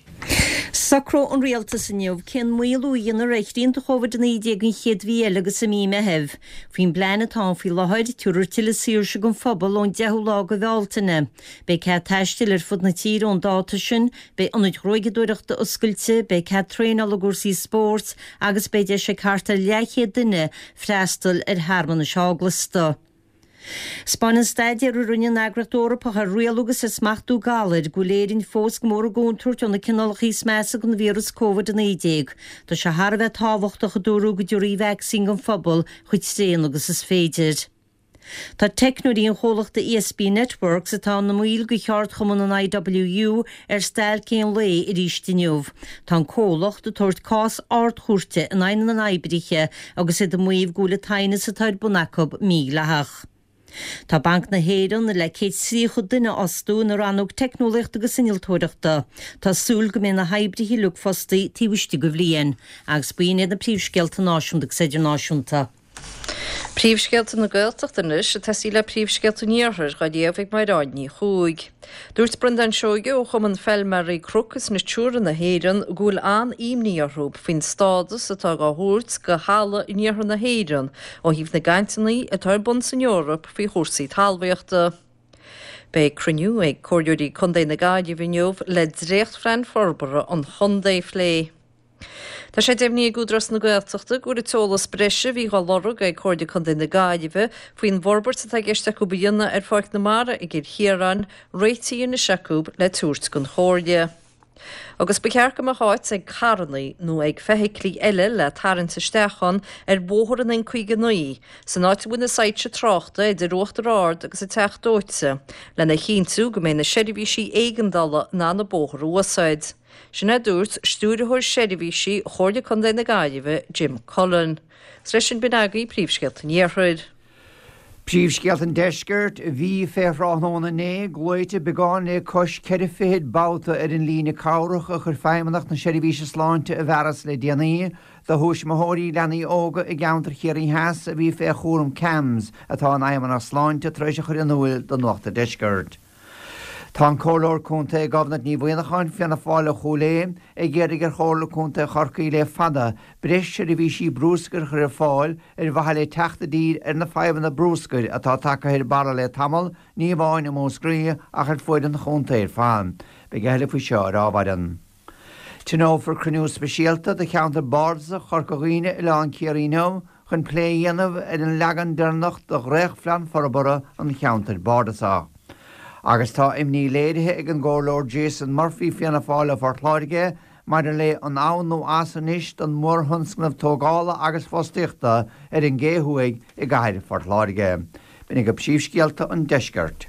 Socróidh an Rialtas inniu cén maolú a dhéanfar ar shrianta Covid-19 an chéad mhí eile agus i mí Meithimh. Faoin bplean atá ann faoi láthair, tabharfar tuilleadh saoirse don phobal ón 10ú lá de Bhealtaine. Beidh cead taistil ar fud na tíre ón dáta sin, beidh ionaid ghruaigeadóireachta oscailte, beidh cead traenála i gcúrsaí spóirt agus beidh deis ag thart ar leathchéad duine freastal ar shearmanais eaglasta. 'Spáineann staidéar a rinne an Eagraíocht Eorpach ar Rialú agus ar Smachtú Galair go bhfuil Éirinn fós go mór i gcontúirt ó na cineálacha is measa den víreas Covid-19. Tá sé thar a bheith tábhachtach, a dúradh, go dtabharfaí vacsaín don phobal chomh tréan agus is féidir. Tá teicneoirí an chomhlachta ESB Networks, atá ina mbaill de cheardchumann an IWU, ar stailc aon lae arís inniu. Tá an comhlacht ag tabhairt cás ardchúirte in aghaidh na n-oibrithe agus iad ag maíomh go bhfuil an t-aighneas atá ar bun acu mídhleathach. Tá Banc na hÉireann le 130 duine a fhostú ina rannóg teicneolaíochta agus innealtóireachta. Tá súil go mbeidh na hoibrithe uilig fostaí taobh istigh de bhliain. Agus b'in iad na príomhscéalta náisiúnta agus idirnáisiúnta. Príomhscéalta na Gaeltachta anois, ag tosaí le príomhscéalta an Iarthair, dhá léamh ag Maighreád Ní Chuaig. Dúirt Breandán Seoige ó Chumann Feilméaraí Cnoc is Natura na hÉireann go bhfuil an-imní orthu faoin stádas atá dhá thabhairt do thalamh in iarthar na hÉireann ó thaobh na gcainteanna atá ar bun san Eoraip faoi chúrsaí talmhaíochta. Beidh cruinniú ag Comhairleoirí Contae na Gaillimhe inniu le dréachtphlean forbartha an chontae a phlé. Tá sé deimhnithe ag Údarás na Gaeltachta go bhfuil an t-eolas breise a bhí dhá lorg ag Comhairle Contae na Gaillimhe faoin bhforbairt atá i gceist acu a dhéanamh ar Pháirc na Mara i gCill Chiaráin réitithe anois acu le tabhairt don Chomhairle. Agus ba cheart go mbeadh áit ag carrannaí nó ag feithiclí eile le tarraingt isteach ann ar bhóthar an N59, san áit a bhfuil na soilse tráchta idir Uachtar Ard agus an Teach Dóite, lena chinntiú go mbeidh na seirbhísí éigeandála in ann an bóthar a úsáid. Sin é a dúirt Stiúrthóir Seirbhísí Chomhairle Contae na Gaillimhe, Jim Cullen. Is leis sin b'in agaibh príomhscéalta an Iarthair. Príomhscéalta an Deiscirt, Bhí fé thráthnóna inné, glaoite beagán le cois 4 fichid babhta ar an líne cabhrach a chuir Feidhmeannacht na Seirbhíse Sláinte i bhfearas le déanaí do thuismitheoirí leanaí óga i gceantar Chiarraí Theas a bhí fé chúram CAMHS atá an Fheidhmeannacht Sláinte tar éis a chur in úil do Nuacht an Deiscirt. Tá an Comhairleoir Contae Gobnait Ní Mhuineacháin, Fianna Fáil ó Chúil Aodha, ag iarraidh ar Chomhairle Contae Chorcaí le fada breis seirbhísí brúscair a chur ar fáil ar mhaithe le teacht i dtír ar na fadhbanna brúscair atá tagtha ar barra le tamall, ní amháin i Múscraí ach ar fuaid an chontae ar fad. Beidh a thuilleadh faoi seo ar ámhairean. Tionólfar cruinniú speisialta de cheantar bardasach Chorca Dhuibhne, Oileán Ciarraí inniu chun plé a dhéanamh ar an leagan deireanach de dhréachtphlean forbartha an cheantair bardasach. Agus tá imní léirithe ag an gComhairleoir Jason Murphy, Fianna Fáil ó Phort Láirge, maidir le an ann nó as anois don mhórthionscnamh tógála agus fostaíochta ar an gCé Thuaidh i gcathair Phort Láirge. B'in agaibh príomhscéalta an deiscirt.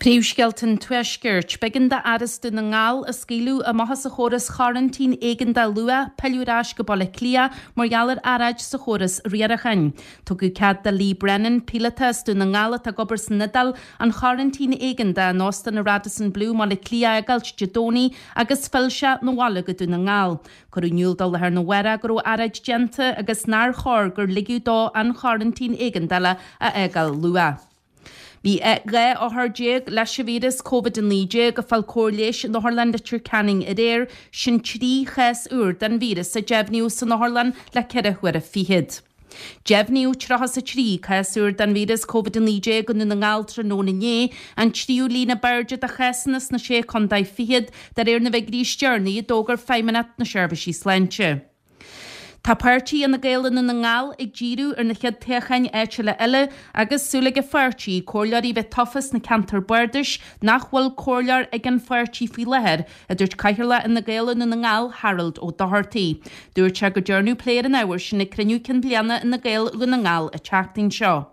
Príomhscéalta an Tuaiscirt. B'éigean d'fhear as Dún na nGall a scaoileadh amach as an chóras choraintín éigeandála luath pilleadh ar ais go Baile Átha Cliath mar gheall ar earráid sa chóras riaracháin. Tugadh cead do Lee Brennan, píolóta as Dún na nGall atá ag obair san Iodáil, an choraintín éigeandála in Óstán an Radisson Blu i mBaile Átha Cliath a fhágáilt Dé Domhnaigh agus phill sé 'na bhaile go Dún na nGall. Cuireadh in iúl dó lá arna mhárach go raibh earráid déanta agus nár chóir gur ligeadh dó an choraintín éigeandála a fhágáil luath. Bhí 12 othar leis an víreas Covid-19 ag fáil cóir leighis in Otharlann Leitir Ceanainn aréir, sin 3 chás úr den víreas a deimhníodh san otharlann le ceithre huaire fichead. Deimhníodh 33 cás úr den víreas Covid-19 i nDún na nGall tráthnóna inné, an tríú líon ab airde de chásanna sna Sé Chontae Fichead de réir na bhfigiúirí is deireanaí a d'fhógair Feidhmeannacht na Seirbhísí Sláinte. Tá páirtí Fhine Gael i nDún na nGall ag díriú ar na chéad toghcháin áitiúla eile agus súil ag an pháirtí comhairleoirí a bheith tofa sna ceantair bardais nach bhfuil comhairleoir ag an pháirtí faoi láthair, a dúirt Cathaoirleach Fhine Gael i Ndún na nGall, Harold Ó Dochartaigh. Dúirt sé go ndearnadh plé ar an ábhar sin ag cruinniú cinn bliana Fhine Gael Dhún na nGall an tseachtain seo.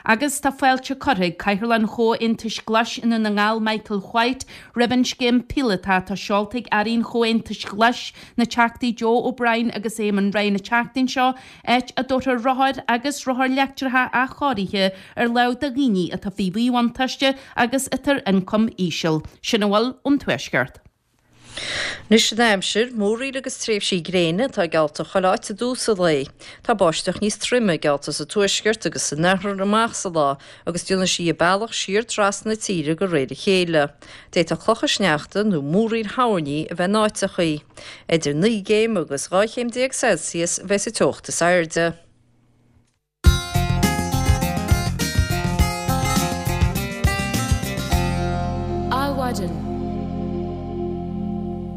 Agus tá fáilte curtha ag Cathaoirleach an Chomhaontais Ghlais i nDún na nGall, Michael White, roimh an scéim píolótach atá seolta ag Airí an Chomhaontais Ghlais, na Teachtaí Joe O'Brien agus Eamon Ryan an tseachtain seo, áit a dtabharfar rothair agus rothair leictreacha athchóirithe ar lámh do dhaoine atá faoi mhíbhuntáiste agus atá ar ioncam íseal. Sin a bhfuil ón Tuaisceart. Anois an aimsir, múraíl agus tréimhsí gréine atá geallta chuile áit i dtús an lae. Tá báisteach níos troime geallta sa tuaisceart agus san oirthear amach sa lá agus déanfaidh sí a bealach siar trasna na tíre de réir a chéile. D'fhéadfadh clocha sneachta nó múraíl thoirní a bheith in áiteachaí. Idir 9 gcéim agus 12 chéim Celsius a bheidh sa teocht is airde. Adhmhaidin.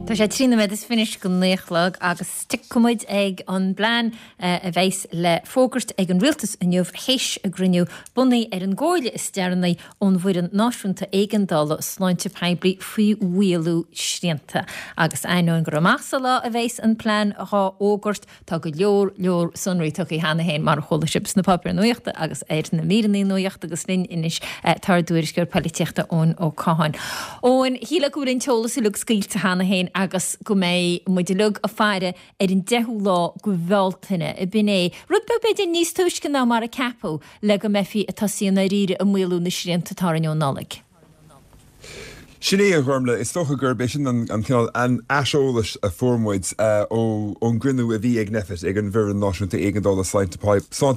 Tá sé 3 nóiméad is fiche go 9 a chlog agus tiocfaidh muid ag an bplean a bheas le fógairt ag an Rialtas inniu théis a gcruinniú bunaithe ar an gcomhairle is deireanaí ón bhFoireann Náisiúnta Éigeandála Sláinte Poiblí faoi mhaolú srianta. Agus ainneoin gur amach sa lá a bheas an plean dhá fhógairt, Tá go leor leor sonraí tugtha cheana féin, mar a chuala sibh, sna páipéir nuachta agus ar na míreanna nuachta agus linn anois tá ár dtuairisceoir polaitíochta Eoin Ó Catháin. Eoin, shílfeá go bhfuil an t-eolas uilig scaoilte cheana féin agus go mbeidh muid uilig ag faire ar an deichiú lá de Bhealtaine, ab in é, rud beag b'fhéidir níos túisce ná mar a ceapadh le go mbeifí ag tosaí i ndáiríre ag maolú na srianta atá orainn ón Nollaig. Sin é, a Ghormlaith. Is dócha gurb é sin an cineál aiseolais a fuair muid ón gcruinniú a bhí ag Nphet, ag an bhFoireann Náisiúnta Éigeandála Sláinte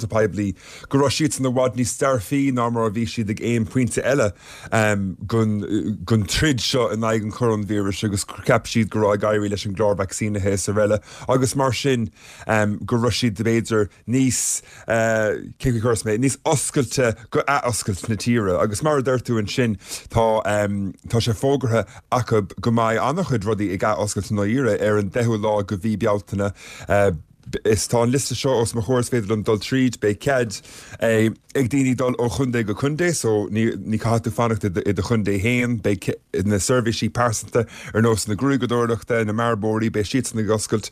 Poiblí, go raibh siadsan i bhfad níos dearfaí ná mar a bhí siad ag aon phointe eile den troid seo in aghaidh an choróinvíris agus cheap siad go raibh ag éirí leis an gclár vacsaínithe is araile agus mar sin go raibh siad b'fhéidir níos, cén chaoi a chuirfeas mé, níos oscailte go athoscailt na tíre. Agus mar a deir tú ansin, tá, tá sé. sé fógartha acu go mbeidh an-chuid rudaí ag ath-oscailt i ndáiríre ar an 10ú lá de mhí Bealtaine. Is tá an liosta seo os mo chomhair is féidir liom dul tríd. Beidh cead ag daoine dul ó chontae go contae so ní ní caithfidh tú fanacht i do chontae féin. Beidh na seirbhísí pearsanta ar nós na gruaigeadóireachta, na mbearbóirí, beidh siadsan ag oscailt.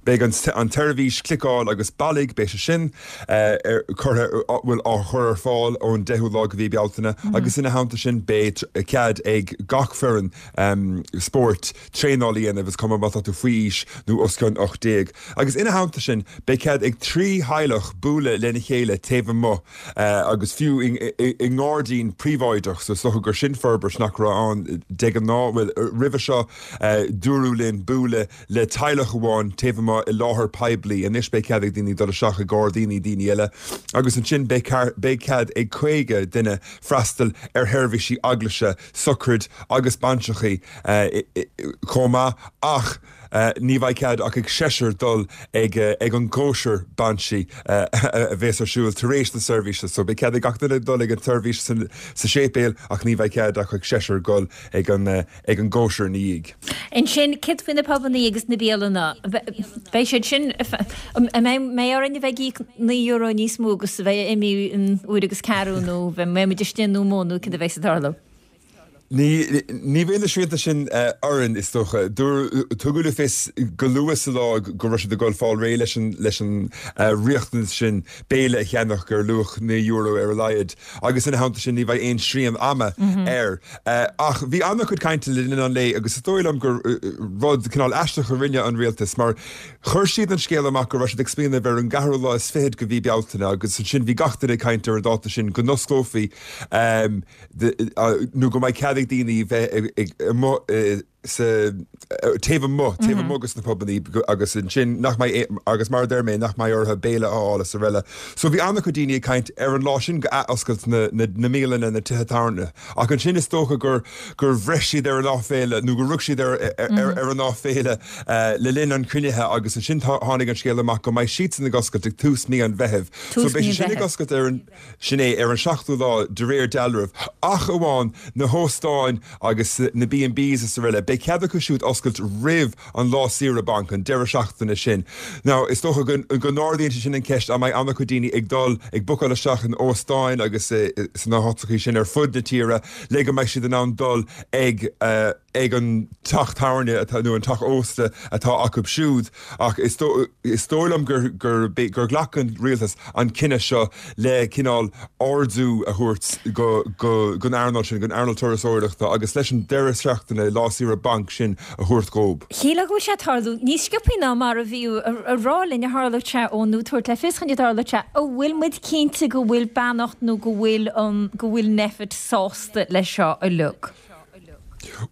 Beidh an an tseirbhís cliceáil agus bailigh, beidh sé sin ar curtha bhuel á chur ar fáil ón 10ú lá de mhí Bealtaine agus ina theannta sin beidh cead ag gach foireann spóirt traenáil a dhéanamh, is cuma má tá tú faoi aois nó os cionn 18. Agus ina theannta sin, beidh cead ag 3 theaghlach bualadh lena chéile taobh amuigh agus fiú i ngairdín príobháideach, so is dócha gur sin forbairt nach raibh ann de ghnáth, bhuel, roimhe seo dúradh linn bualadh le teaghlach amháin taobh amuigh i láthair poiblí, anois beidh cead ag daoine dul isteach i ngairdíní daoine eile agus ansin beidh cead ag 50 duine freastal ar sheirbhísí eaglaise, sochraid agus bainseachaí chomh maith ach ní bheidh cead ach ag seisear dul ag an gcóisir bainse a bheas ar siúl tar éis na seirbhíse. So beidh cead ag gach duine dul ag an tseirbhís sa séipéal ach ní bheidh cead ach ag seisear dul ag an ag an gcóisir ina dhiaidh. Ansin, céard faoi na pubannaí agus na bialanna? Beidh siad sin, an mbeidh orainn a bheith ag íoc €9 níos mó agus a bheith imithe in uair agus ceathrú nó mbeidh muid istigh nó amuigh nó céard a bheas ag tarlú? Ní, ní bheidh na srianta sin orainn, is dócha. Tugadh le fios go luath sa lá go raibh siad ag dul fáil réidh leis an, leis an riachtanas sin béile a cheannach ar luach €9 ar a laghad agus ina theannta sin ní bheidh aon srian ama air. Ach bhí an-chuid cainte le linn an lae agus is dóigh liom gur rud cineál aisteach a rinne an rialtas mar chuir siad an scéal amach go raibh siad ag smaoineamh ar an gceathrú lá is fichead de mhí Bealtaine agus ansin bhí gach duine ag caint ar an dáta sin go n-osclófaí nó go mbeidh cead ag daoine bheith amuigh sa taobh amuigh, taobh amuigh de sna pubannaí agus ansin nach mbeidh, agus mar a deir mé, nach mbeidh orthu béile a fháil is araile. So bhí an-chuid daoine ag caint ar an lá sin go athoscailt na, na, na mbialanna, na tithe tábhairne. Ach ansin is dócha gur, gur bhreith siad ar an áiféala nó gur rug siad ar, ar, ar an áiféala le linn an chruinnithe agus ansin tháinig an scéal amach go mbeidh siadsan ag oscailt ag tús mí an Mheithimh. So Tús beidh mí sé an sin ag Mheithimh. oscailt ar an, Sin é, ar an seachtú lá, de réir dealraimh. Ach amháin na hóstáin agus na B and Bs is araile, beidh cead acu siúd oscailt roimh an lá saoire bainc, an deireadh seachtaine sin. Now, is dócha go n-ardaíonn sé sin an cheist, an mbeidh an-chuid daoine ag dul ag bookáil isteach in óstáin agus sna háiteachaí sin ar fud na tíre le go mbeidh siad in ann dul ag ag an teach tábhairne atá, nó an teach ósta atá acu siúd. Ach is dóigh liom gur gur ghlac an rialtas an cinneadh seo le cineál ardú a thabhairt go gon earnáil sin, gon earnáil turasóireachta agus leis an deireadh seachtaine, lá saoire bainc sin a thabhairt dhób. Shílfeá go bhfuil sé ag tarlú níos sciobthaí ná mar a bhíodh a rá linn a tharlódh sé ó nó tabhairt le fios dhúinn a dtarlódh sé. An bhfuil muid cinnte go bhfuil beannacht nó go bhfuil an go bhfuil Nphet sásta leis seo uilig?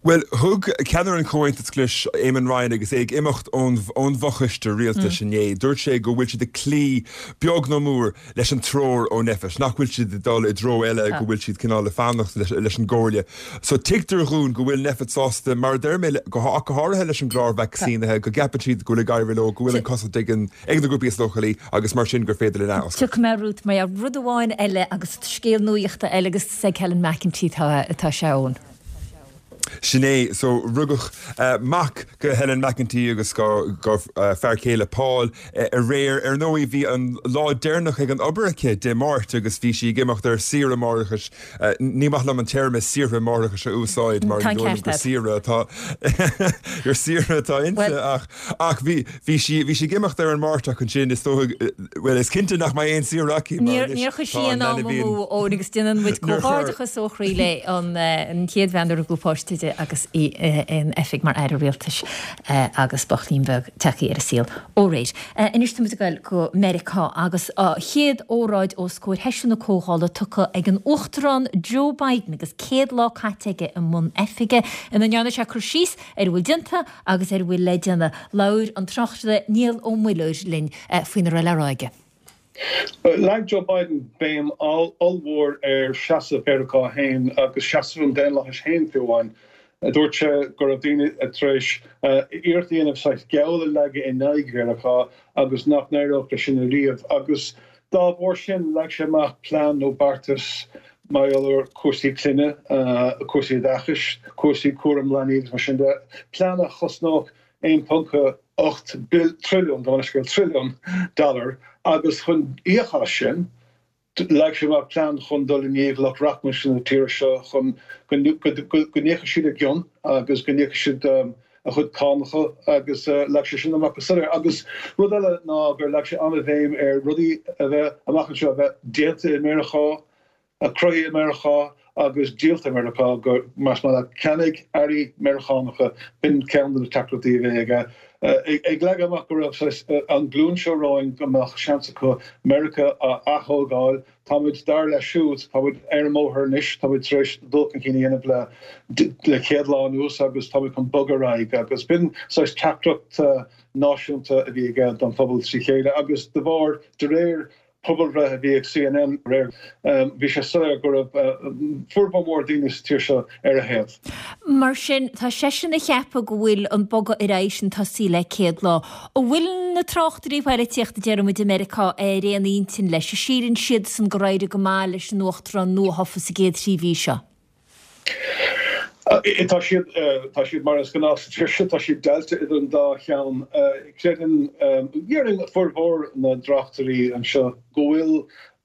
Bhuel, thug ceannaire an Chomhaontais Ghlais, Eamon Ryan, agus é ag imeacht ón ón bhfochoiste rialtais inné, dúirt sé go bhfuil siad ag cloí, beag nó mór, leis an treoir ó Nphet, nach bhfuil siad ag dul i dtreo eile, go bhfuil siad cineál ag fanacht leis an gcomhairle. So tuigtear dhúinn go bhfuil Nphet sásta, mar a deir mé, go ach go háirithe leis an gclár vacsaínithe, go gceapann siad go bhfuil ag éirí leo, go bhfuil an cosaint ag an ag na grúpaí is leochailí agus mar sin gur féidir linn athoscailt. Tiocfaidh mé romhat mar rud amháin eile agus scéal nuachta eile agus is ag Helen McEntee atá sé ann. Sin é. So rugadh mac go Helen McEntee agus go go fear céile Paul aréir. Ar ndóigh bhí an lá deireanach ag an obair aici Dé Máirt agus bhí sí ag imeacht ar saoire máithreachais. Ní maith liom an téarma saoire máithreachais a úsáid mar Tá ní an dóigh liom ceart gur agat. saoire atá gur saoire atá inti Bhuel, ach ach bhí Bhí sí, bhí sí ag imeacht ar an Máirt ach ansin is dóigh, bhuel is cinnte nach mbeidh aon saoire aici mar Níor, anois níor chuir sí tá an aon am leanbh amú Eoin agus déanann muid Níor chuir. comhghairdeachas ó chroí léi an chéad bhean a rugadh páiste di agus í in oifig mar Aire Rialtais agus buachaillín beag tagtha ar an saol aréir. Anois tá muid ag dul go Meiriceá agus a chéad óráid os comhair sheisiún na Comhdhála tugtha ag an Uachtarán Joe Biden agus 100 lá caite aige i mbun oifige ina ndearna sé cur síos ar a bhfuil déanta agus ar a bhfuil le déanamh. Labhair an tráchtaire Niall Ó Muilleoir linn faoina raibh le rá aige. Leag Joe Biden béim ollmhór ar sheasamh Mheiriceá féin agus seasamh an daonlathais féin fiú amháin. Dúirt sé go raibh daoine tar éis iarracht a dhéanamh saghas geall a leagadh in aghaidh Mheiriceá agus nach n-éireodh leis sin ariamh agus dá bharr sin leag sé amach plean nó beartas. mar gheall ar chúrsaí clainne, cúrsaí oideachais, cúrsaí cúram leanaí agus mar sin de, plean a chosnódh 1.8 trilliún, gabh mo leithscéal, trilliún dollar agus chun íoc as sin, Leag sé amach plean chun dul i ndiaidh lucht rachmais na tíre seo chun go n-íocfaidh siad a gcion agus go n-íocfaidh siad a gcuid cánacha agus leag sé sin amach go soiléir. Agus rud eile ná gur leag sé an-bhéim ar rudaí a bheith amach anseo a bheith déanta i Meiriceá, cruthaithe i Meiriceá agus díolta i Meiriceá, go, más maith leat, ceannaigh earraí Meiriceánacha, b'in ceann de na teachtaireachtaí a bhí aige. Ag leagadh amach go raibh saghas an ghlúin seo romhainn go mbeadh seans acu Meiriceá a ath-thógáil. Táimid, dar leis siúd, táimid ar an mbóthar anois, táimid tar éis dul chun cinn a dhéanamh le le 100 lá anuas agus táimid chun bogadh ar aghaidh agus b'in saghas teachtaireacht náisiúnta a bhí aige don phobal trí chéile agus de bharr, de réir pobalbhreith a bhí ag CNN aréir, bhí sé soiléir go raibh formhór mór daoine sa tír seo ar a thaobh. Mar sin, tá seisean ag ceapadh go bhfuil an bogadh ar aghaidh sin tosaithe le 100 lá. An bhfuil na tráchtairí poilitíochta, deir muid, i Meiriceá ar aon intinn leis? An síleann siadsan gur éirigh go maith leis an uachtarán nuathofa sa gcéad thrí mhí seo? Tá siad, tá siad mar is gnáth sa tír seo, tá siad deighilte idir an dá cheann. Creideann, déarfainn, formhór na dtráchtairí anseo go bhfuil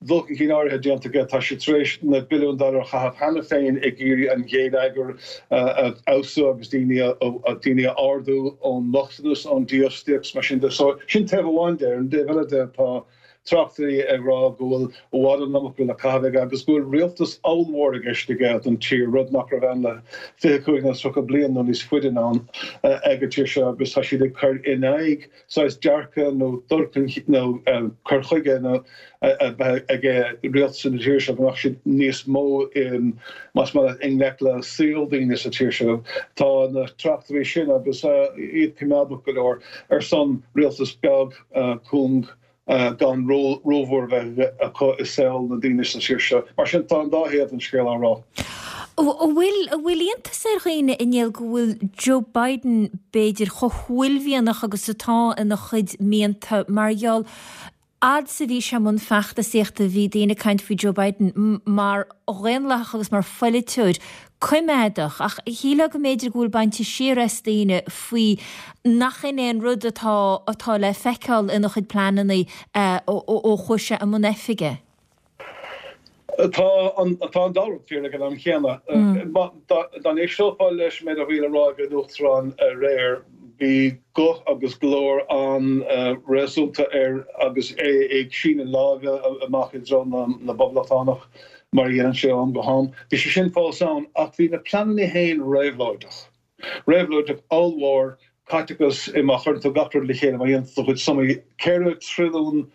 dul chun cinn áirithe déanta aige. Tá sé tar éis na billiúin dollar a chaitheamh cheana féin ag iarraidh an gheilleagar a fheabhsú agus daoine a, daoine a ardú ón mbochtanas, ón dífhostaíocht, mar sin de. So, sin taobh amháin de. Ar an dtaobh eile de, tá. tráchtairí ag rá go bhfuil i bhfad an iomarca le caitheamh aige agus go bhfuil rialtas ollmhór i gceist aige don tír, rud nach raibh ann le 25 nó 30 bliain nó níos faide anonn ag an tír seo agus tá siad ag cur in aghaidh saghas dearcadh nó dul chun nó cur chuige nó a bheith ag rialtas na tíre seo go mbeadh siad níos mó más maith leat i ngleic le saol daoine sa tír seo. Tá na tráchtairí sin agus iad coimeádach go leor ar son rialtas beag cúng gan ról rómhór a bheith acu i saol na ndaoine sa tír seo. Mar sin, tá an dá thaobh den scéal á rá. An bhfuil, an bhfuil iontas ar dhaoine, a Néill, go bhfuil Joe Biden, b'fhéidir, chomh huaillmhianach agus atá ina chuid mianta mar gheall, fhad is a bhí sé i mbun feachtasaíochta, bhí daoine ag caint faoi Joe Biden mar dhaonlathach agus mar pholaiteoir coimeádach, ach shílfeá go mb'fhéidir go bhfuil bainte siar as daoine faoi nach in é an rud atá atá le feiceáil ina chuid pleananna ó chuaigh sé i mbun oifige. Tá an tá an dá rud fíor ag an am chéanna. Dá n-éisteofá leis an méid a bhí le rá ag an Uachtarán aréir, bhí guth agus glór an-réasúnta air agus é ag síneadh láimhe amach i dtreo na bPoblachtánach, mar a dhéanann sé ó am go ham. Bhí sé sin fós ann, ach bhí na pleananna féin réabhlóideach. Réabhlóideach ollmhór, caiteachas, má chuireann tú gach rud le chéile, má dhéanann tú do chuid sumaí, 4 trilliún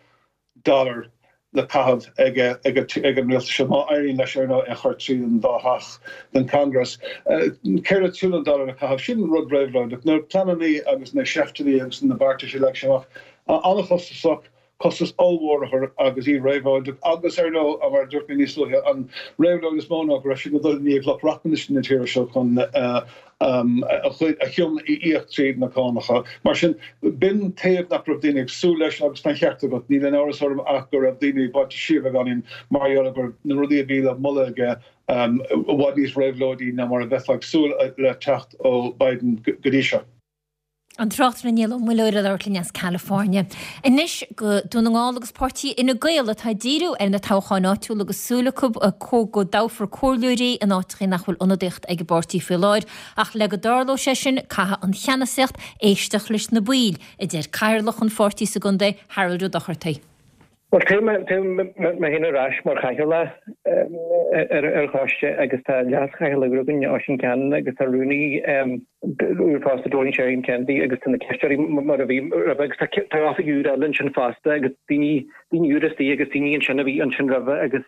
dollar le caitheamh ag an rialtas seo, má éiríonn leis, ar ndóigh, é a chur tríd an dá theach den Congress. 4 trilliún dollar le caitheamh, sin rud réabhlóideach. Na pleananna agus na seifteanna agus na beartais a leag sé amach, an-chostasach, costas ollmhór orthu agus iad réabhlóideach agus, ar ndóigh, mar a dúirt mé níos luaithe, an réabhlóid is mó ná go raibh siad ag dul i ndiaidh lucht rachmais na tíre seo chun a chion a íoc tríd na cánacha. Mar sin, b'in taobh nach raibh daoine ag súil leis agus tá an ceart agat, níl aon amhras orm ach go raibh daoine bainte siar beagáinín mar gheall ar go raibh na rudaí a bhí le moladh aige i bhfad níos réabhlóidí ná mar a bheifeá ag súil le teacht ó Biden go dtí seo. An tráchtaire Niall Ó Muilleoir ag labhairt linn as California. Anois go Dún na nGall agus páirtí Fhine Gael atá ag díriú ar na toghcháin áitiúla agus súil acu go dtoghfar comhairleoirí in áiteachaí nach bhfuil ionadaíocht ag an bpáirtí faoi láthair. Ach le go dtarlóidh sé sin caithfidh an cheannasaíocht éisteacht leis na baill, a deir cathaoirleach an pháirtí sa gcontae, Harold Ó Dochartaigh. Bhuel, téim mé féin ar ais mar chathaoirleach ar an choiste agus tá leas-chathaoirleach úr againn, Oisín Cannon, agus tá rúnaí úr fosta, Doreen Sheridan Kennedy, agus tá na cisteoirí mar a bhí roimhe agus tá oifigigh úra eile ansin fosta agus daoine daoine úra istigh agus daoine ansin a bhí ansin roimhe agus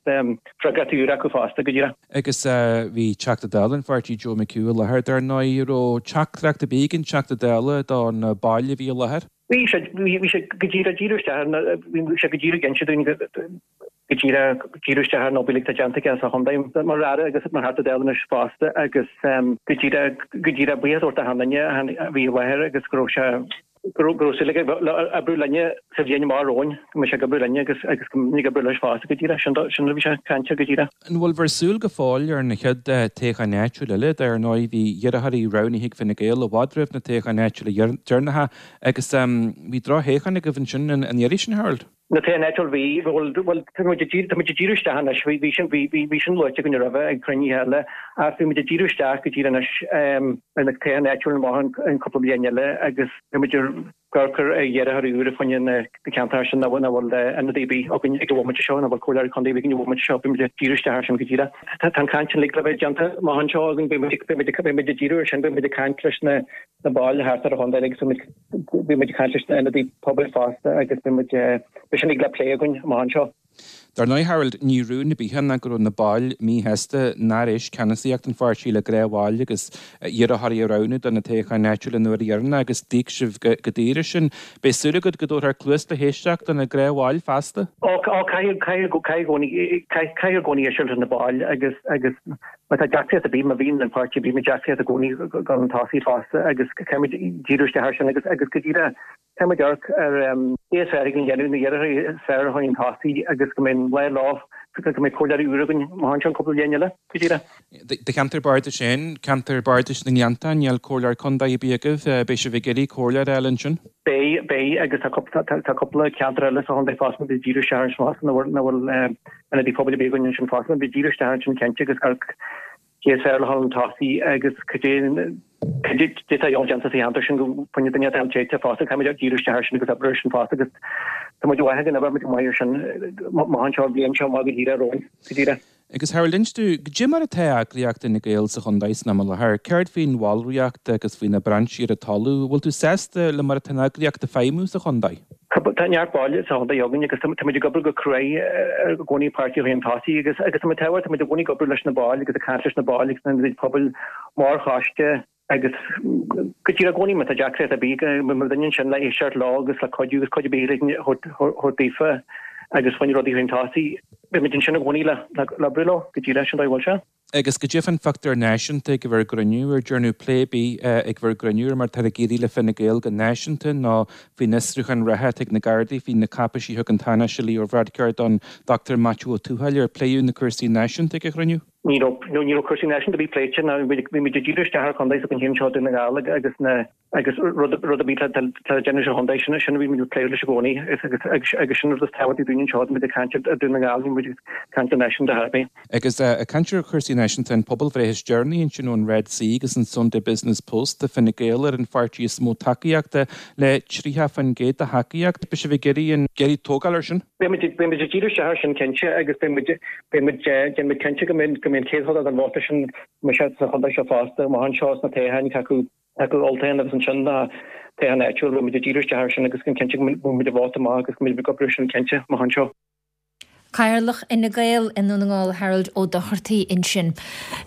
freagrachtaí úra acu fosta, go díreach. Agus bhí Teachta Dála an pháirtí Joe McHugh i láthair dar ndóigh. An raibh teachtaireacht ar bith ag an Teachta Dála do na baill a bhí i láthair? Bhí sé, bhí sé go díreach, díriú isteach ar na, bhí sé go díreach ag inse dúinn go díreach, díriú isteach ar an obair uilig atá déanta aige sa chontae mar Aire agus mar Theachta Dála anois fosta agus go díreach, go díreach buíochas a thabhairt d'achan duine a bhí i láthair agus go raibh sé, go raibh súil aige le oibriú linne Sa bhliain amach romhainn, go mbeidh sé ag oibriú linne agus agus go mbeidh ag oibriú leis fosta go díreach. Sin sin a bhí sé ag caint air go díreach. An bhfuil bhur súil go fóill ar na chéad toghcháin áitiúil eile? Dar ndóigh bhí iarrthóirí roghnaithe ag Fine Gael i bhfad roimh na toghcháin áitiúla deireanacha agus bhí droch-thoghchán agaibh ansin an iarraidh sin, Harold. Na toghcháin áitiúil bhí, bhuel, bhuel, tá muid ag díriú, tá muid ag díriú isteach anois, bhí, bhí sin, bhí, bhí, bhí sin luaite againn roimhe ag cruinnithe eile ach bhí muid ag díriú isteach go díreach anois ar na toghcháin áitiúil amach an cúpla bliain eile agus tá muid ag amharc ar iarrthóirí úra fá choinne na ceantair sin nach bhfuil ionadaí ar bith againn ag an bhomaite seo, nach bhfuil comhairleoirí contae againn ag an bhomaite seo, beidh muid ag díriú isteach air sin go díreach. Tá an chaint uilig le bheith déanta amach anseo againn, beidh muid ag díriú air sin, beidh muid ag caint leis na baill thart ar an chontae agus beidh muid ag caint leis na ionadaithe pobail fosta agus beidh muid, beidh sin uilig le plé againn amach anseo. Dar ndóigh, Harold, ní rún ar bith é ná go raibh na baill míshásta nár éist ceannasaíocht an pháirtí le gnáthbhaill agus iarrthóirí a roghnú do na toghcháin áitiúla an uair dheireanach agus d'íoc sibh go daor as sin. Beidh súil agat go dtabharfar cluas le héisteacht do na gnáthbhaill feasta? Ó, caithfidh, caithfidh, caithfidh i gcónaí, caithfidh i gcónaí éisteacht leis na baill agus, agus má tá deacracht ar bith, má bhíonn an páirtí ar bith, deacracht i gcónaí dul chun tosaigh fosta agus caithfimid díriú isteach air sin agus, agus go díreach Caithfimid amharc ar cé is fearr againn a dhéanamh, na iarrthóirí is fearr a chur chun tosaigh agus go mbeidh an lá leo, go mbeidh comhairleoirí úra againn amach anseo an cúpla bliain eile, go díreach. Do cheantar bardais féin, ceantar bardais na nGleanntach, níl comhairleoir contae ar bith agaibh, beidh sibh ag iarraidh comhairleoir a fháil ansin? Beidh, beidh agus tá cúpla ceantar eile sa chontae fosta a mbeidh díriú isteach ansin fosta, nach bhfuil ionadaí pobail ar bith againn ansin fosta, beidh díriú isteach ansin cinnte agus amharc cé is fearr le dhul chun tosaigh agus cad é atá déanta sa cheantar sin go bhfuil duine atá téite fosta, caithfimid díriú isteach air sin agus obair air sin fosta agus tá muid maith ag an obair, muid maith air sin amach anseo an bhliain seo amach go díreach romhainn, go díreach. Agus Harold, inis domh, cad é mar atá eagraíocht Fhine Gael sa chontae san am i láthair? Céard faoin bhallraíocht agus faoi na brainsí ar an talamh? Bhfuil tú sásta le mar atá an eagraíocht ag feidhmiú sa chontae? Tá neart baill sa chontae againn agus tá muid ag obair go cruaidh i gcónaí páirtí a chur chun tosaigh agus agus tá muid tábhacht, tá muid i gcónaí ag obair leis na baill agus ag caint leis na baill agus na hionadaithe pobail mar choiste agus go díreach i gcónaí má tá deacracht ar bith go mbeidh duine ansin le éisteacht leo agus le cuidiú agus cuid ar bith a thabhairt daofa agus fá choinne rudaí a chur chun tosaigh. Beidh muid ansin i gcónaí le oibriú leo go díreach sin dóigh a bhfuil sé. Agus cad é fán phictiúr náisiúnta ag bhur gcruinniú, ar dearnadh plé ar bith ag bhur gcruinniú ar mar atá ag éirí le Fine Gael go náisiúnta nó faoin fhiosrúchán reatha atá ag na Gardaí faoi na cáipeisí a thug an Tánaiste Leo Varadkar don Dr Maitiú Ó Tuathail, ar pléadh na cúrsaí náisiúnta ag an chruinniú? Ní raibh, ní raibh cúrsaí náisiúnta ar bith pléite ná bhí muid ag díriú isteach ar chontae s'againn féin anseo Dún na nGall agus na Agus rud ar bith atá le déanamh sa chontae, sin sin a bhí muid ag plé leis i gcónaí agus agus sin rud is tábhachtaí dúinn anseo, tá muid ag caint ar Dún na nGall, níl muid ag caint go náisiúnta ar chor ar bith. Agus ag caint ar chúrsaí náisiúnta, an pobalbhreith is deireanaí ansin ón Red C agus an Sunday Business Post, tá Fine Gael ar an pháirtí is mó tacaíochta le 30% de thacaíocht. Beidh sibh ag iarraidh an iarraidh tógáil air sin? Beidh muid beidh muid ag díriú isteach air sin cinnte agus beidh muid beidh muid déanfaidh muid cinnte go mbeidh go mbeidh an chéad chuid den vóta sin go mbeidh sé sa chontae seo fosta, amach anseo sna toghcháin acu. Acu olltoghchán agus ansin na toghcháin áitiúil, beidh muid ag díriú isteach air sin agus cinnte go bhfuil muid ag vóta amach agus go mbeidh muid ag obair ar sin cinnte amach anseo. Cathaoirleach Fhine Gael i nDún na nGall Harold Ó Dochartaigh ansin.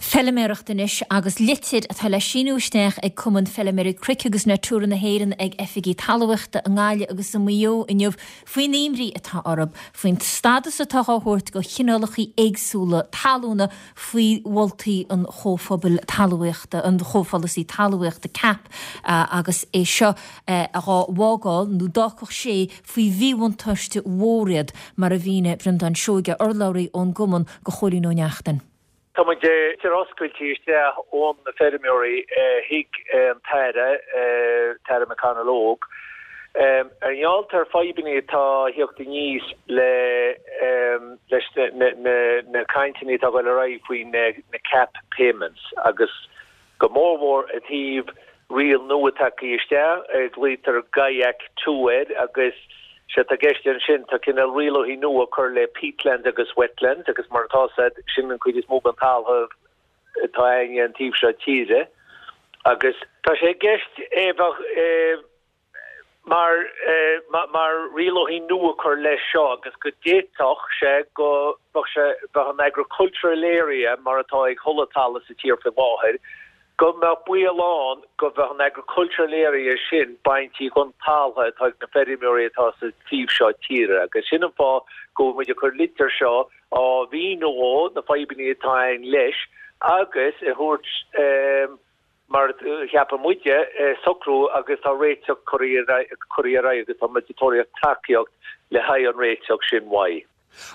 Feiliméaracht anois agus litir atá le síniú isteach ag Cumann Feiliméaraí Cnoic agus Natura na hÉireann ag oifigí talmhaíochta i nGaillimh agus i Maigh Eo inniu faoin imní atá orthu faoin stádas atá á thabhairt do chineálacha éagsúla talúna faoi mholtaí an Chomhphobail Talmhaíochta, an Chomhpholasaí Talmhaíochta, cap, agus é seo dhá bhfágáil, nó d'fhágfadh sé faoi mhíbhuntáiste mhór iad, mar a mhínigh Breandán Seoige, urlabhraí ón gcumann, do Chóilín Ó Neachtain. Tá muid ag litir oscailte isteach ón na feirmeoirí chuig an tAire, Tara McConalogue, Ar ngeall ar fadhbanna atá a thíocht aníos le leis na cainteanna atá ag dul ar aghaidh faoi na cap payments agus go mór mhór i dtaobh riail nua tagtha isteach a ghlaotar GAEC 2 air agus sé atá i gceist ansin tá cineál rialacha nua cur le peatlands agus wetlands agus mar atá said sin an chuid is mó den talamh atá againne an taobh seo tíre agus tá sé i gceist é bheadh mar mar rialacha nua cur leis seo agus go d'fhéadfadh sé go mbeadh sé bheadh an agricultural area mar atá ag chuile talamh sa tír faoi láthair go mbeadh baol ann go bheadh an agricultural area sin bainte den talamh atá ag na feirmeoirí atá sa taobh seo tíre agus sin an fáth go bhfuil muid ag cur litir seo á mhíniú na fadhbanna atá ann leis agus a thabhairt. Mar a cheapann muide, socrú agus tá réiteach curtha ar aghaidh agus tá muid ag tóraíocht tacaíocht le haghaidh an réiteach sin uaidh.